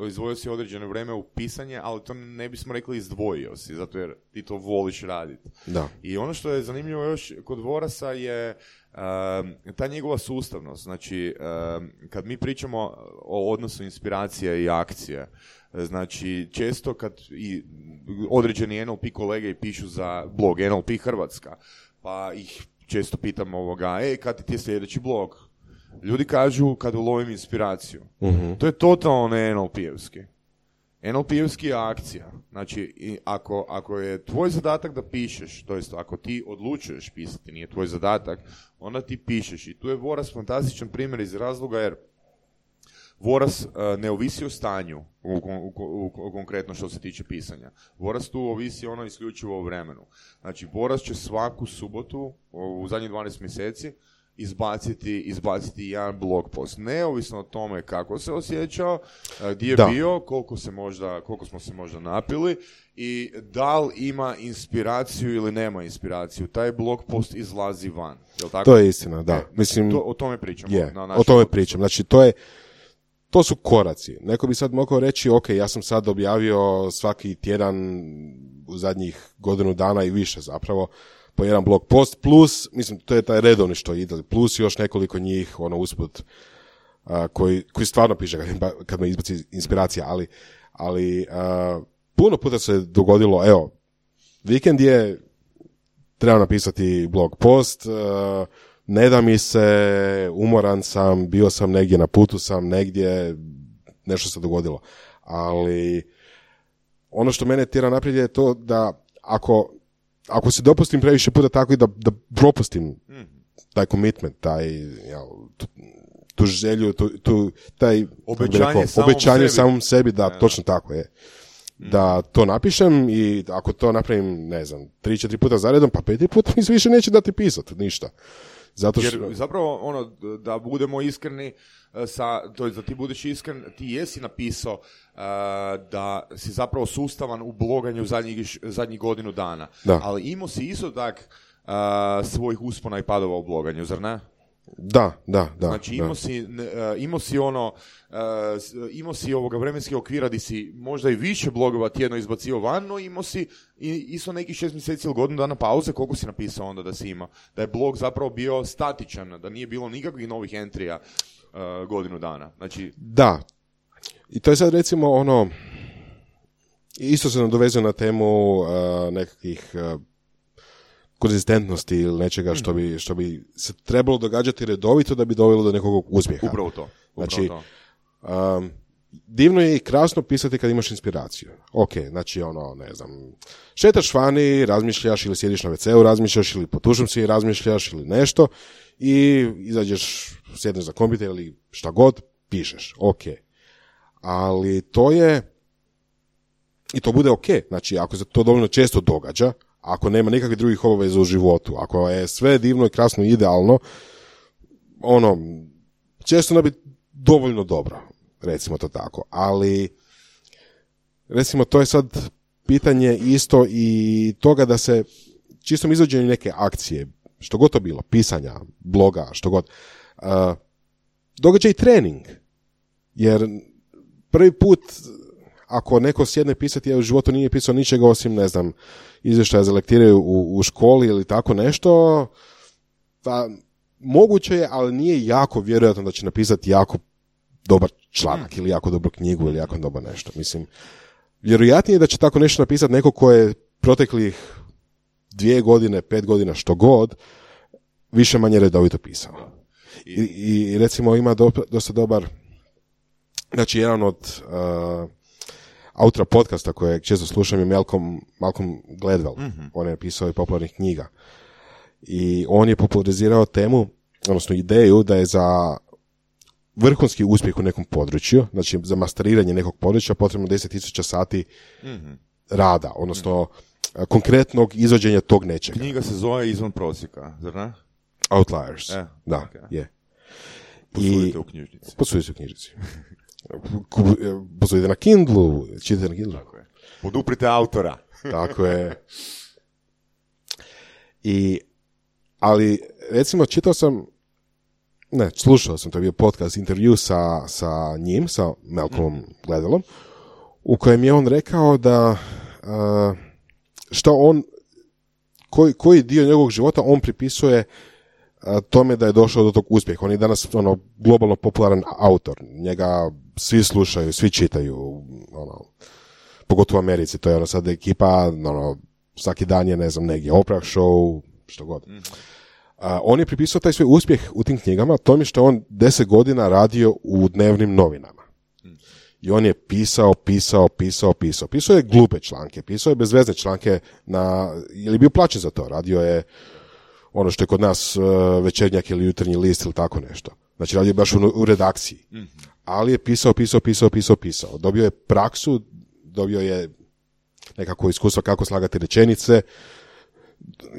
izdvojio si određeno vrijeme u pisanje, ali to ne bismo rekli izdvojio si, zato jer ti to voliš raditi. Da. I ono što je zanimljivo još kod Vorasa je ta njegova sustavnost. Znači, kad mi pričamo o odnosu inspiracije i akcije, znači, često kad i određeni NLP kolege pišu za blog NLP Hrvatska, pa ih često pitam kad ti je sljedeći blog? Ljudi kažu kad ulovim inspiraciju. To je totalno ne NLP-evski. NLP-evski je akcija. Znači, ako je tvoj zadatak da pišeš, to jest ako ti odlučuješ pisati, nije tvoj zadatak, onda ti pišeš. I tu je Voras fantastičan primjer iz razloga jer Voras ne ovisi o stanju, konkretno što se tiče pisanja. Voras tu ovisi isključivo o vremenu. Znači, Voras će svaku subotu u zadnjih 12 mjeseci izbaciti jedan blog post. Neovisno o tome kako se osjećao, gdje je bio, koliko smo se možda napili i da li ima inspiraciju ili nema inspiraciju. Taj blog post izlazi van. Jel tako? To je istina, da. Mislim, o tome pričamo. O tome pričam. Znači, to su koraci. Neko bi sad mogao reći, ok, ja sam sad objavio svaki tjedan u zadnjih godinu dana i više zapravo, po jedan blog post, plus, mislim, to je taj redovni što ide, plus još nekoliko njih, usput, koji stvarno piše kad me izbaci inspiracija, ali puno puta se dogodilo, evo, vikend je, treba napisati blog post, ne da mi se, umoran sam, bio sam negdje, na putu sam negdje, nešto se dogodilo, ali ono što mene tjera naprijed je to da ako se dopustim previše puta tako i da propustim taj commitment, tu želju, taj obećanje samom sebi, da, točno tako je. Da to napišem i ako to napravim, ne znam, 3-4 puta zaredom, pa 5 puta mi se više neće dati pisati, ništa. Zato što... Jer zapravo, da budemo iskreni, da ti budeš iskren, ti jesi napisao da si zapravo sustavan u bloganju zadnjih godinu dana. Da. Ali imao si isto tak svojih uspona i padova u bloganju, zar ne? Da. Znači imao si ovoga vremenskih okvira gdje si možda i više blogova tjedno izbacio van, no imao si isto nekih 6 mjeseci ili godinu dana pauze. Koliko si napisao onda da si imao? Da je blog zapravo bio statičan, da nije bilo nikakvih novih entrija godinu dana. Znači... Da. I to je sad recimo isto se nadovezuje na temu nekakvih konzistentnosti ili nečega što bi se trebalo događati redovito da bi dovelo do nekog uspjeha. Upravo to. Znači, divno je i krasno pisati kad imaš inspiraciju. Ok, znači ne znam, šetaš vani, razmišljaš ili sjediš na WC-u, razmišljaš ili po tušom si razmišljaš ili nešto i izađeš, sjedneš za kompjuter ili šta god, pišeš. Ok. Ali to je, i to bude ok, znači ako se to dovoljno često događa, ako nema nikakvih drugih obaveza u životu, ako je sve divno i krasno i idealno, često ne bi dovoljno dobro, recimo to tako. Ali, recimo, to je sad pitanje isto i toga da se čistom izvođenju neke akcije, što god to bilo, pisanja, bloga, što god, događa i trening. Jer prvi put, ako neko sjedne pisati, ja u životu nije pisao ničega osim, ne znam, izvještaja za lektiraju u školi ili tako nešto, pa moguće je, ali nije jako vjerojatno da će napisati jako dobar članak ili jako dobru knjigu ili jako dobar nešto. Mislim, vjerojatnije je da će tako nešto napisati neko ko je proteklih 2 godine, 5 godina, što god, više manje redovito pisao. I recimo ima dosta dobar, znači jedan od autora podcasta kojeg često slušam je Malcolm Gladwell. Mm-hmm. On je napisao i popularnih knjiga. I on je popularizirao temu, odnosno ideju da je za vrhunski uspjeh u nekom području, znači za masteriranje nekog područja potrebno 10,000 sati rada, odnosno konkretnog izvođenja tog nečega. Knjiga se zove Izvan prosjeka, zar ne? Outliers, da, je. Posudite u knjižnici. Posudite u knjižnici. Posudite na Kindlu, čitate na Kindlu. Tako je. Poduprite autora. Tako je. Ali, recimo, slušao sam, to je bio podcast, intervju sa njim, sa Malcolmom Gladwellom, u kojem je on rekao da koji dio njegovog života on pripisuje tome da je došao do tog uspjeha. On je danas globalno popularan autor. Njega svi slušaju, svi čitaju, pogotovo u Americi. To je sad ekipa, svaki dan je, ne znam, negdje Oprah show, što god. On je pripisao taj svoj uspjeh u tim knjigama tome što je on 10 godina radio u dnevnim novinama. I on je pisao. Pisao je glupe članke, pisao je bezvezne članke ili je bio plaćen za to. Radio je ono što je kod nas Večernjak ili Jutarnji list ili tako nešto. Znači radio je baš u redakciji. Ali je pisao. Dobio je praksu, dobio je nekako iskustvo kako slagati rečenice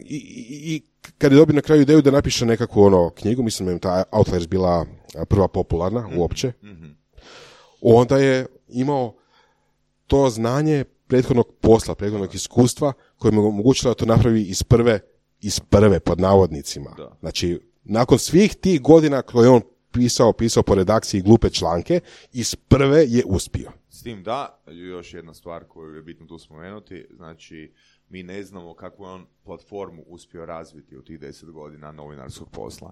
i kad je dobio na kraju ideju da napiše nekakvu knjigu, mislim da je ta Outliers bila prva popularna uopće, onda je imao to znanje prethodnog posla, prethodnog iskustva koje mu omogućilo da to napravi iz prve pod navodnicima. Da. Znači, nakon svih tih godina koje on pisao po redakciji glupe članke, iz prve je uspio. S tim da, još jedna stvar koju je bitno tu spomenuti, znači mi ne znamo kakvu je on platformu uspio razviti u tih 10 godina novinarskog posla.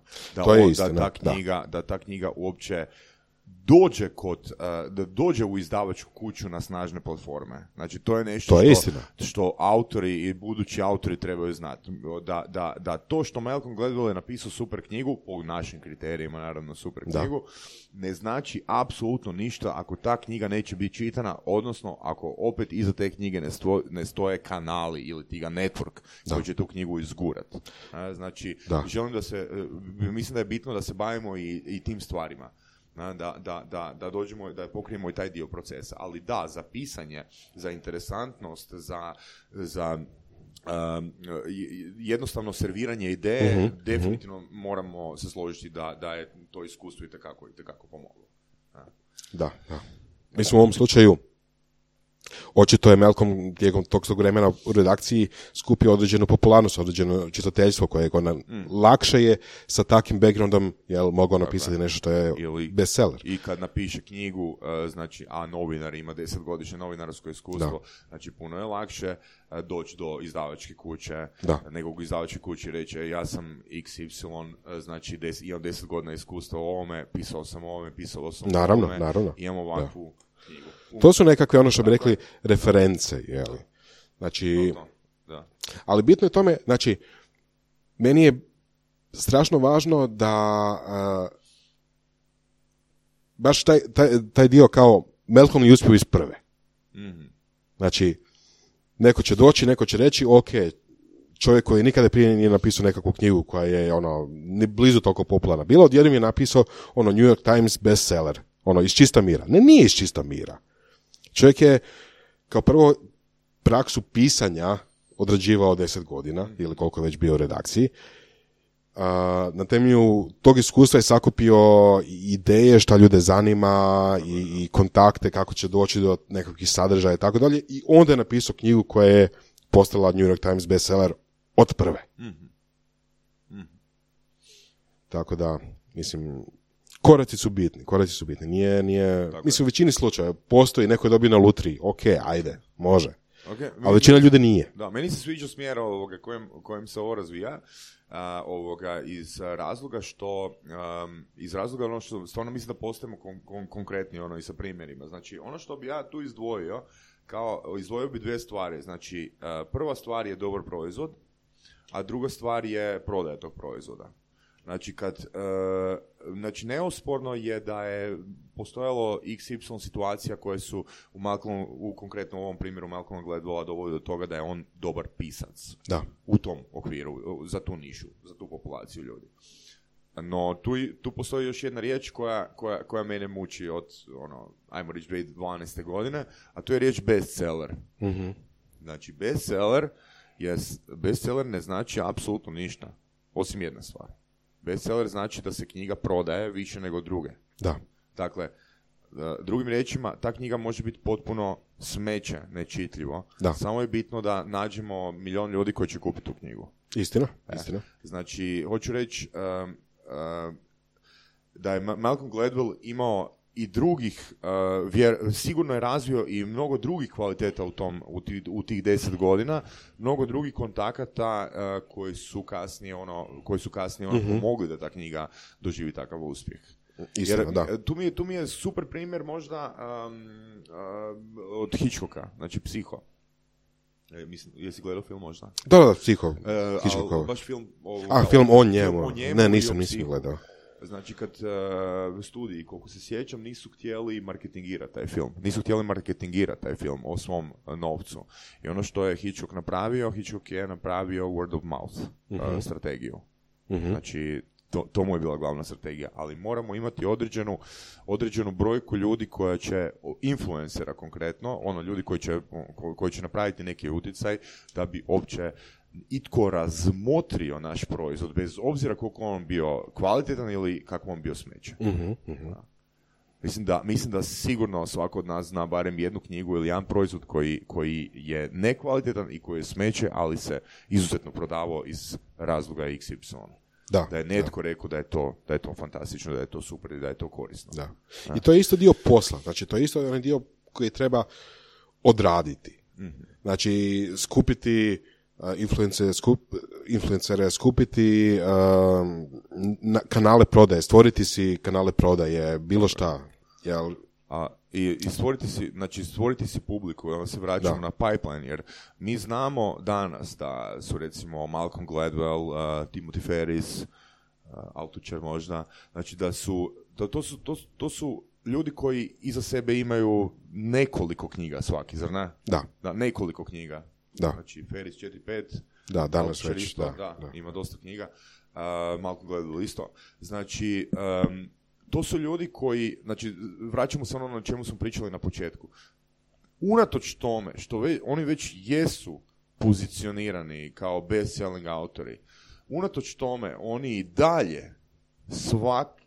Da ta knjiga uopće dođe u izdavačku kuću na snažne platforme. Znači, to je nešto što autori i budući autori trebaju znati. Da to što Malcolm Gladwell je napisao super knjigu, po našim kriterijima naravno super knjigu, ne znači apsolutno ništa ako ta knjiga neće biti čitana, odnosno ako opet iza te knjige ne stoje kanali ili ti ga network koji će tu knjigu izgurat. Znači, mislim da je bitno da se bavimo i tim stvarima. Da dođemo, da pokrijemo i taj dio procesa. Ali da, za pisanje, za interesantnost, za jednostavno serviranje ideje, definitivno moramo se složiti da je to iskustvo itekako pomoglo. Da. Mislim, u ovom slučaju očito je Malcolm tijekom tog vremena u redakciji skupio određenu popularnost, određeno čitateljstvo koje lakše je sa takvim backgroundom mogao napisati nešto što je bestseller. I kad napiše knjigu, znači, a novinar ima 10-godišnje novinarsko iskustvo, znači puno je lakše doći do izdavačke kuće, nego u izdavačkoj kući reći ja sam XY, znači imam 10 godina iskustva u ovome, pisao sam o ovome, naravno. Imam ovakvu knjigu. To su nekakve, što bi rekli, reference, jeli. Znači, ali bitno je tome, znači, meni je strašno važno da baš taj dio kao Malcolm je uspio iz prve. Znači, neko će doći, neko će reći, ok, čovjek koji nikada prije nije napisao nekakvu knjigu koja je ni blizu toliko popularna. Bilo odjednom je napisao New York Times bestseller, iz čista mira. Ne, nije iz čista mira. Čovjek je kao prvo praksu pisanja odrađivao 10 godina, ili koliko je već bio u redakciji. Na temelju tog iskustva je sakupio ideje šta ljude zanima i kontakte kako će doći do nekakvih sadržaja i tako dalje. I onda je napisao knjigu koja je postala New York Times bestseller od prve. Tako da, mislim, koraci su bitni. Nije, mislim, u većini slučaja postoji, neko je dobio na lutriji, ok, ajde, može. Okay, ali većina ljudi nije. Da, meni se sviđa smjera kojem se ovo razvija, iz razloga što stvarno mislim da postajemo konkretni i sa primjerima. Znači, ono što bi ja tu izdvojio, kao izdvojio bi dvije stvari. Znači, prva stvar je dobar proizvod, a druga stvar je prodaja tog proizvoda. Znači, znači neosporno je da je postojalo XY situacija koje su u konkretno u ovom primjeru Malcolma Gladwella dovodi do toga da je on dobar pisac. Da. U tom okviru, za tu nišu, za tu populaciju ljudi. No, tu postoji još jedna riječ koja mene muči od, ajmo reći, 2012. godine, a to je riječ bestseller. Mm-hmm. Znači, bestseller ne znači apsolutno ništa, osim jedna stvar. Bestseller znači da se knjiga prodaje više nego druge. Da. Dakle, drugim riječima, ta knjiga može biti potpuno smeće, nečitljivo. Da. Samo je bitno da nađemo milion ljudi koji će kupiti tu knjigu. Istina. Znači, hoću reći da je Malcolm Gladwell imao i drugih, sigurno je razvio i mnogo drugih kvaliteta u tih 10 godina, mnogo drugih kontakata koji su kasnije pomogli da ta knjiga doživi takav uspjeh. Istina, jer, da. Tu mi je super primjer možda od Hitchcocka, znači Psiho. Mislim, jesi gledao film možda? Da, Psiho. Hitchcockova. Baš film film o njemu. Ne, nisam gledao. Znači, kad studiji, koliko se sjećam, nisu htjeli marketingirati taj film. Nisu htjeli marketingirati taj film o svom novcu. I ono što je Hitchcock je napravio word of mouth strategiju. Mm-hmm. Znači, to mu je bila glavna strategija. Ali moramo imati određenu brojku ljudi koja će, influencera konkretno, ljudi koji će napraviti neki utjecaj da bi uopće itko razmotrio naš proizvod, bez obzira koliko on bio kvalitetan ili kako on bio smeće. Mm-hmm, mm-hmm. Mislim da sigurno svako od nas zna barem jednu knjigu ili jedan proizvod koji je nekvalitetan i koji je smeće, ali se izuzetno prodavao iz razloga XY. Da je netko rekao da je to fantastično, da je to super i da je to korisno. Da. I to je isto dio posla. Znači, to je isto onaj dio koji treba odraditi. Mm-hmm. Znači, skupiti influencere, skupiti kanale prodaje, stvoriti si kanale prodaje, bilo šta. Jel? I stvoriti si publiku, onda se vraćamo na pipeline, jer mi znamo danas da su recimo Malcolm Gladwell, Timothy Ferris, Altucher možda, znači to su ljudi koji iza sebe imaju nekoliko knjiga svaki, zar ne? Da, nekoliko knjiga. Da. Znači, Ferris 4-5. Da, danas već. Isto, da, ima dosta knjiga. Malcolm Gladwell isto. Znači, to su ljudi koji, znači, vraćamo se ono na čemu smo pričali na početku. Unatoč tome što oni već jesu pozicionirani kao best-selling autori, unatoč tome oni i dalje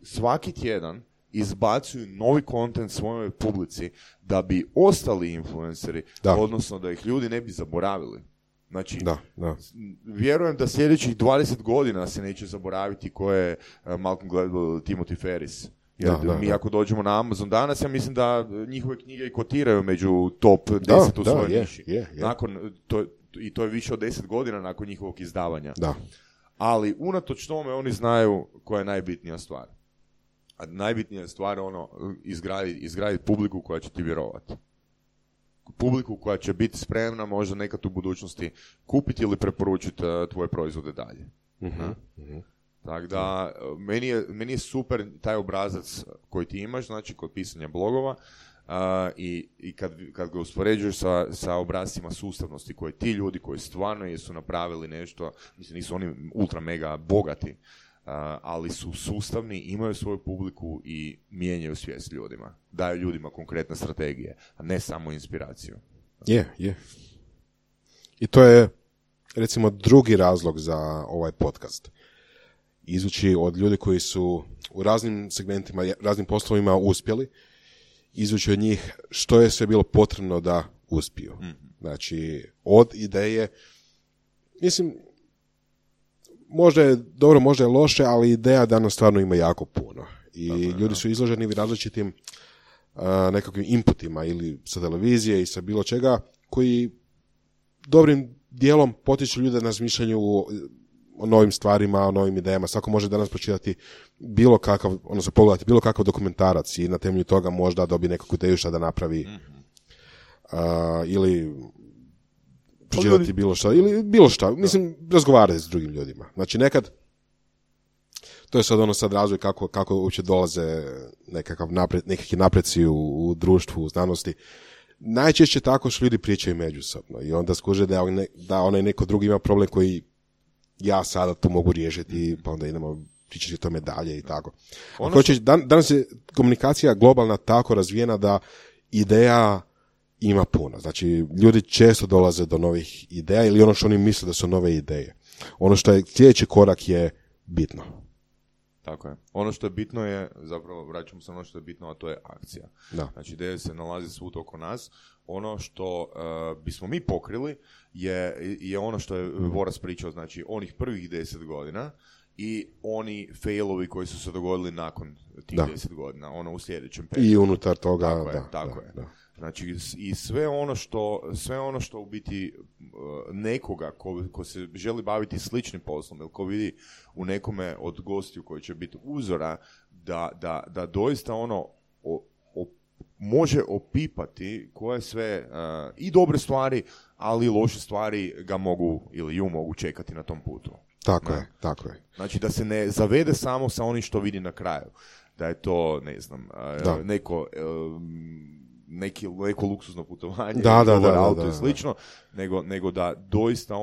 svaki tjedan izbacuju novi kontent svojoj publici da bi ostali influenceri, odnosno da ih ljudi ne bi zaboravili. Znači, vjerujem da sljedećih 20 godina se neće zaboraviti ko je Malcolm Gladwell, Timothy Ferris. Jer ako dođemo na Amazon danas, ja mislim da njihove knjige i kotiraju među top 10 u svojoj niši. I to je više od 10 godina nakon njihovog izdavanja. Da. Ali unatoč tome oni znaju koja je najbitnija stvar. A najbitnija stvar je izgraditi publiku koja će ti vjerovati. Publiku koja će biti spremna možda nekad u budućnosti kupiti ili preporučiti tvoje proizvode dalje. Mm-hmm. Tako da, meni je super taj obrazac koji ti imaš, znači kod pisanja blogova, i kad ga uspoređuješ sa obrazcima sustavnosti koje ti ljudi koji stvarno jesu napravili nešto, mislim nisu oni ultra mega bogati, ali su sustavni, imaju svoju publiku i mijenjaju svijest ljudima. Daju ljudima konkretne strategije, a ne samo inspiraciju. Je. I to je, recimo, drugi razlog za ovaj podcast. Izvući od ljudi koji su u raznim segmentima, raznim poslovima uspjeli, izvući od njih što je sve bilo potrebno da uspiju. Mm-hmm. Znači, od ideje, mislim, možda je dobro, možda je loše, ali ideja danas stvarno ima jako puno. I ljudi su izloženi različitim nekakvim inputima ili sa televizije i sa bilo čega, koji dobrim dijelom potiču ljude na razmišljanju o novim stvarima, o novim idejama. Svako može danas pročitati bilo kakav, odnosno pogledati bilo kakav dokumentarac i na temelju toga možda dobije nekakvu ideju šta da napravi. Mm-hmm. ili pročitati bilo šta, ili bilo šta, mislim, razgovarati s drugim ljudima. Znači, nekad, to je sad sad razvoj kako uopće dolaze nekakvi napreci u društvu, u znanosti. Najčešće tako što ljudi pričaju međusobno i onda skuže da onaj neko drugi ima problem koji ja sada to mogu riješiti, pa onda idemo pričati o tome dalje i tako. Danas je komunikacija globalna tako razvijena da ideja ima puno. Znači, ljudi često dolaze do novih ideja ili ono što oni misle da su nove ideje. Ono što je sljedeći korak je bitno. Tako je. Ono što je bitno je, zapravo vraćamo se ono što je bitno, a to je akcija. Da. Znači, ideja se nalazi svud oko nas. Ono što bismo mi pokrili je ono što je Voras pričao, znači onih prvih 10 godina i oni failovi koji su se dogodili nakon tih 10 godina, ono u sljedećem periodu. I unutar toga, tako je. Znači, i sve ono što u biti nekoga ko se želi baviti sličnim poslom ili ko vidi u nekome od gostiju koji će biti uzora, da doista može opipati koje sve i dobre stvari, ali i loše stvari ga mogu ili ju mogu čekati na tom putu. Tako je. Znači, da se ne zavede samo sa onim što vidi na kraju. Da je to, ne znam, neko luksuzno putovanje, auto i slično, nego da doista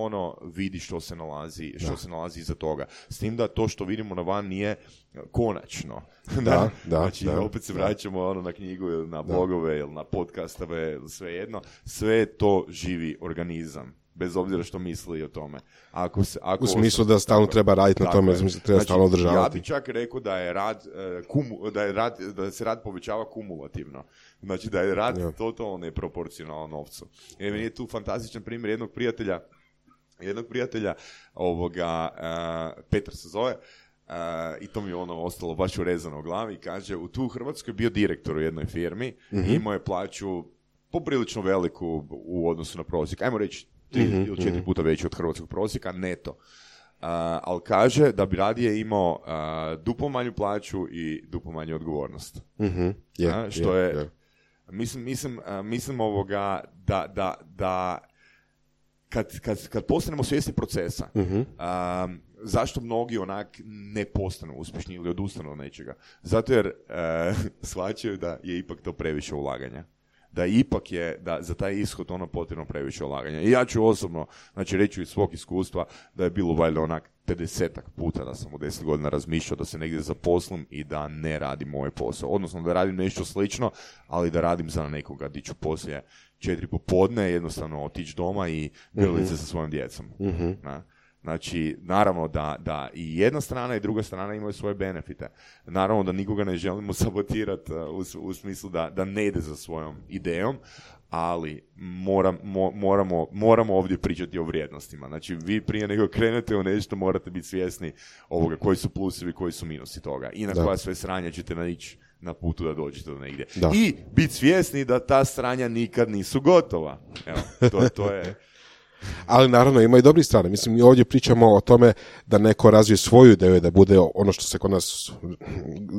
vidi što se nalazi iza toga. S tim da to što vidimo na van nije konačno. Znači, opet se vraćamo na knjigu ili na blogove ili na podcastove, svejedno. Sve to živi organizam, bez obzira što misli o tome. U smislu da stalno treba raditi na tome, treba stalno održavati. Ja bih čak rekao da je da se rad povećava kumulativno. Znači da je rad totalno neproporcionalno novcu. Meni je tu fantastičan primjer jednog prijatelja Petar se zove, i to mi je ostalo baš urezano u glavi. Kaže, tu u Hrvatskoj bio direktor u jednoj firmi, imao je plaću poprilično veliku u odnosu na prosjek. Ajmo reći 3 ili 4 puta veći od hrvatskog prosjeka neto. Ali kaže da bi radije imao duplo manju plaću i duplo manju odgovornost. Što je mislim da kad postanemo svjesni procesa, zašto mnogi ne postanu uspješni ili odustanu od nečega? Zato jer shvaćaju da je ipak to previše ulaganja. Da ipak je, da za taj ishod potrebno previše ulaganja. I ja ću osobno, znači reći iz svog iskustva, da je bilo valjda 50-ak puta da sam u 10 godina razmišljao da se negdje zaposlim i da ne radim moj posao. Odnosno da radim nešto slično, ali da radim za nekoga di ću poslije 4 popodne jednostavno otići doma i grliti se sa svojom djecom. Znači, naravno da i jedna strana i druga strana imaju svoje benefite. Naravno da nikoga ne želimo sabotirati u smislu da ne ide za svojom idejom, ali moramo ovdje pričati o vrijednostima. Znači, vi prije nego krenete u nešto morate biti svjesni ovoga koji su plusevi, koji su minusi toga i na koja sve sranja ćete naići na putu da dođete do negdje. I biti svjesni da ta sranja nikad nisu gotova. Evo, to je... Ali naravno ima i dobrih strana. Mislim, mi ovdje pričamo o tome da neko razvije svoju ideju, da bude ono što se kod nas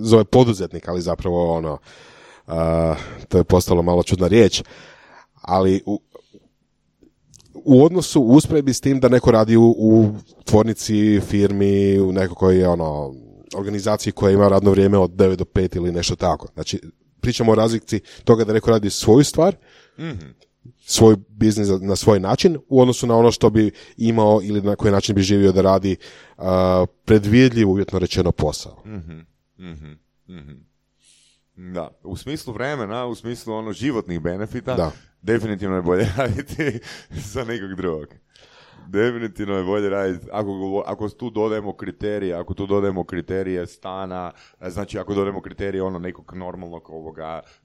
zove poduzetnik, ali zapravo to je postalo malo čudna riječ. Ali u odnosu, u usporedbi s tim da neko radi u tvornici, firmi, u nekoj organizaciji koja ima radno vrijeme od 9 do 5 ili nešto tako. Znači, pričamo o razlici toga da neko radi svoju stvar, svoj biznis na svoj način u odnosu na ono što bi imao ili na koji način bi živio da radi predvidljiv, uvjetno rečeno, posao. Da, u smislu vremena, u smislu životnih benefita, definitivno je bolje raditi za nekog drugog. Definitivno je bolje raditi, ako tu dodajemo kriterije stana, znači ako dodajemo kriterije nekog normalnog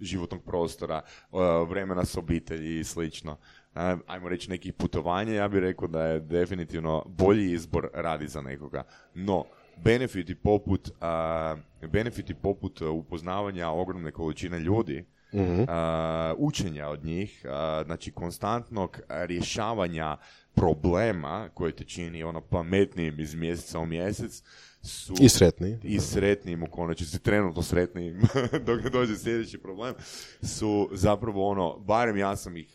životnog prostora, vremena s obitelji i slično, ajmo reći nekih putovanja, ja bih rekao da je definitivno bolji izbor radi za nekoga. No, benefiti poput upoznavanja ogromne količine ljudi, učenja od njih, znači konstantnog rješavanja problema koje te čini pametnijim iz mjeseca u mjesec su I sretnijim u konačnici, trenutno sretnijim dok ne dođe sljedeći problem, su zapravo ono, barem ja sam ih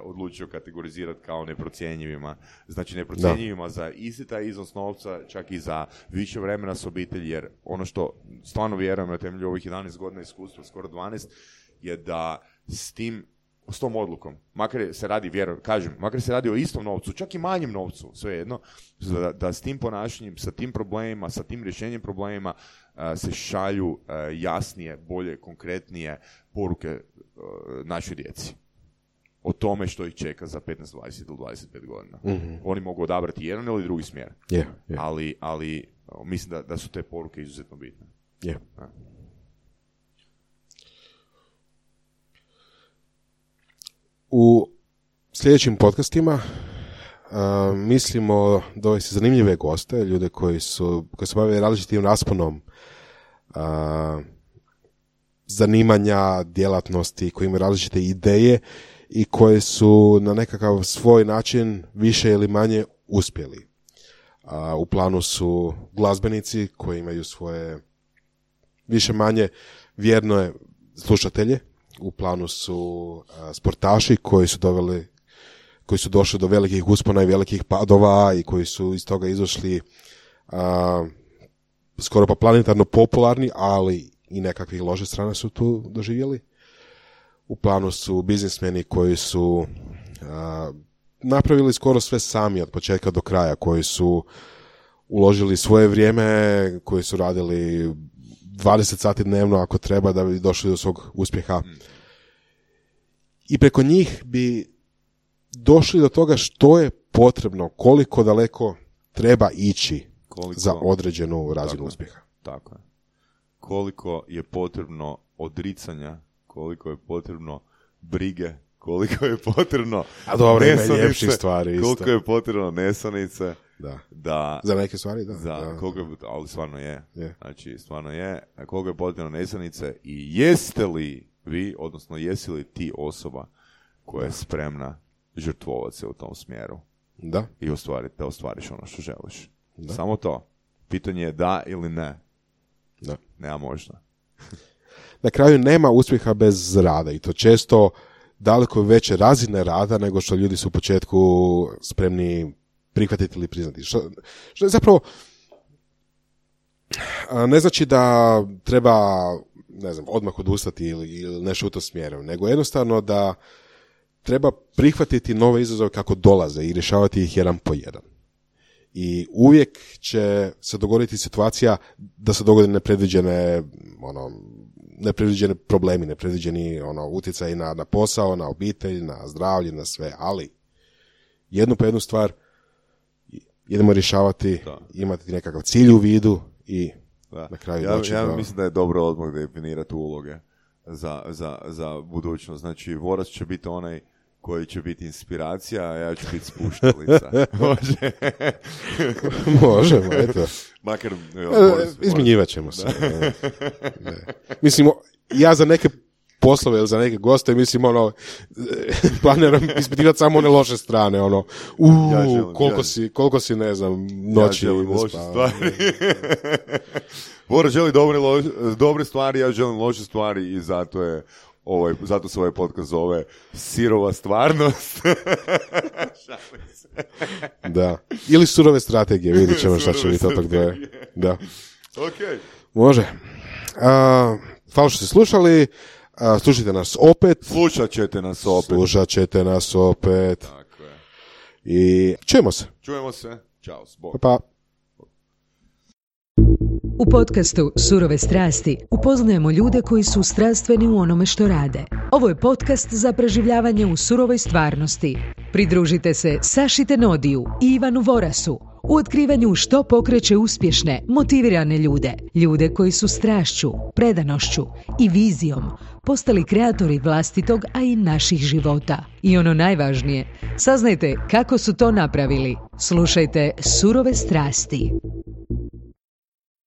odlučio kategorizirati kao neprocjenjivima. Znači neprocjenjivima za isti taj iznos novca, čak i za više vremena s obitelji, jer ono što stvarno vjerujem na temelju ovih 11 godina iskustva, skoro 12, je da s tom odlukom, makar se radi o istom novcu, čak i manjem novcu, svejedno, da s tim ponašanjem, sa tim problemima, sa tim rješenjem problemima se šalju jasnije, bolje, konkretnije poruke našoj djeci. O tome što ih čeka za 15, 20 ili 25 godina. Mm-hmm. Oni mogu odabrati jedan ili drugi smjer. Ali mislim da su te poruke izuzetno bitne. U sljedećim podcastima mislimo dovesti zanimljive goste, ljude koji se bave različitim rasponom zanimanja, djelatnosti, koji imaju različite ideje i koje su na nekakav svoj način više ili manje uspjeli. U planu su glazbenici koji imaju svoje više manje vjerne slušatelje. U planu su sportaši koji su došli do velikih uspona i velikih padova i koji su iz toga izašli skoro pa planetarno popularni, ali i nekakvih loše strane su tu doživjeli. U planu su biznismeni koji su napravili skoro sve sami od početka do kraja, koji su uložili svoje vrijeme, koji su radili 20 sati dnevno ako treba da bi došli do svog uspjeha. I preko njih bi došli do toga što je potrebno, koliko daleko treba ići za određenu razinu uspjeha. Tako je. Koliko je potrebno odricanja, koliko je potrebno brige, koliko je potrebno stvari isto. Koliko je potrebno nesanice. Da. Za neke stvari, da. Ali stvarno je. Znači, stvarno je. Koliko je potrebno nesanice i jeste li vi, odnosno jesi li ti osoba koja je spremna žrtvovati se u tom smjeru i da ostvariš ono što želiš. Da. Samo to. Pitanje je da ili ne. Da. Nema možda. Na kraju nema uspjeha bez rada i to često daleko veće razine rada nego što ljudi su u početku spremni prihvatiti ili priznati. Što je zapravo ne znači da treba odmah odustati ili nešto u to smjeru, nego jednostavno da treba prihvatiti nove izazove kako dolaze i rješavati ih jedan po jedan. I uvijek će se dogoditi situacija da se dogode nepredviđene problemi, nepredviđeni utjecaj na posao, na obitelj, na zdravlje, na sve, ali jednu po jednu stvar idemo rješavati, imati nekakav cilj u vidu i na kraju doći ja mislim da je dobro odmah definirati uloge za budućnost. Znači, Vorac će biti onaj koji će biti inspiracija, a ja ću biti spuštalica. Može? Možemo, eto. Makar, izmjenjivat ćemo se. Ne. Mislim, ja za neke poslove ili za neke goste, mislim, planiram ispitivati samo one loše strane, koliko si, ne znam, noći. Ja želim loše stvari. Bora želi dobre stvari, ja želim loše stvari i zato se ovaj podcast zove Sirova stvarnost. Da. Ili surove strategije, vidjet ćemo šta će biti od tog dvoje. Da. Okay. Može. Hvala što ste slušali. Slušajte nas opet. Slušat ćete nas opet. Tako je. I čujemo se. Ćao. Bog. Pa. U podcastu Surove strasti upoznajemo ljude koji su strastveni u onome što rade. Ovo je podcast za preživljavanje u surovoj stvarnosti. Pridružite se Saši Tenodiju i Ivanu Vorasu u otkrivanju što pokreće uspješne, motivirane ljude. Ljude koji su strašću, predanošću i vizijom postali kreatori vlastitog, a i naših života. I ono najvažnije, saznajte kako su to napravili. Slušajte Surove strasti.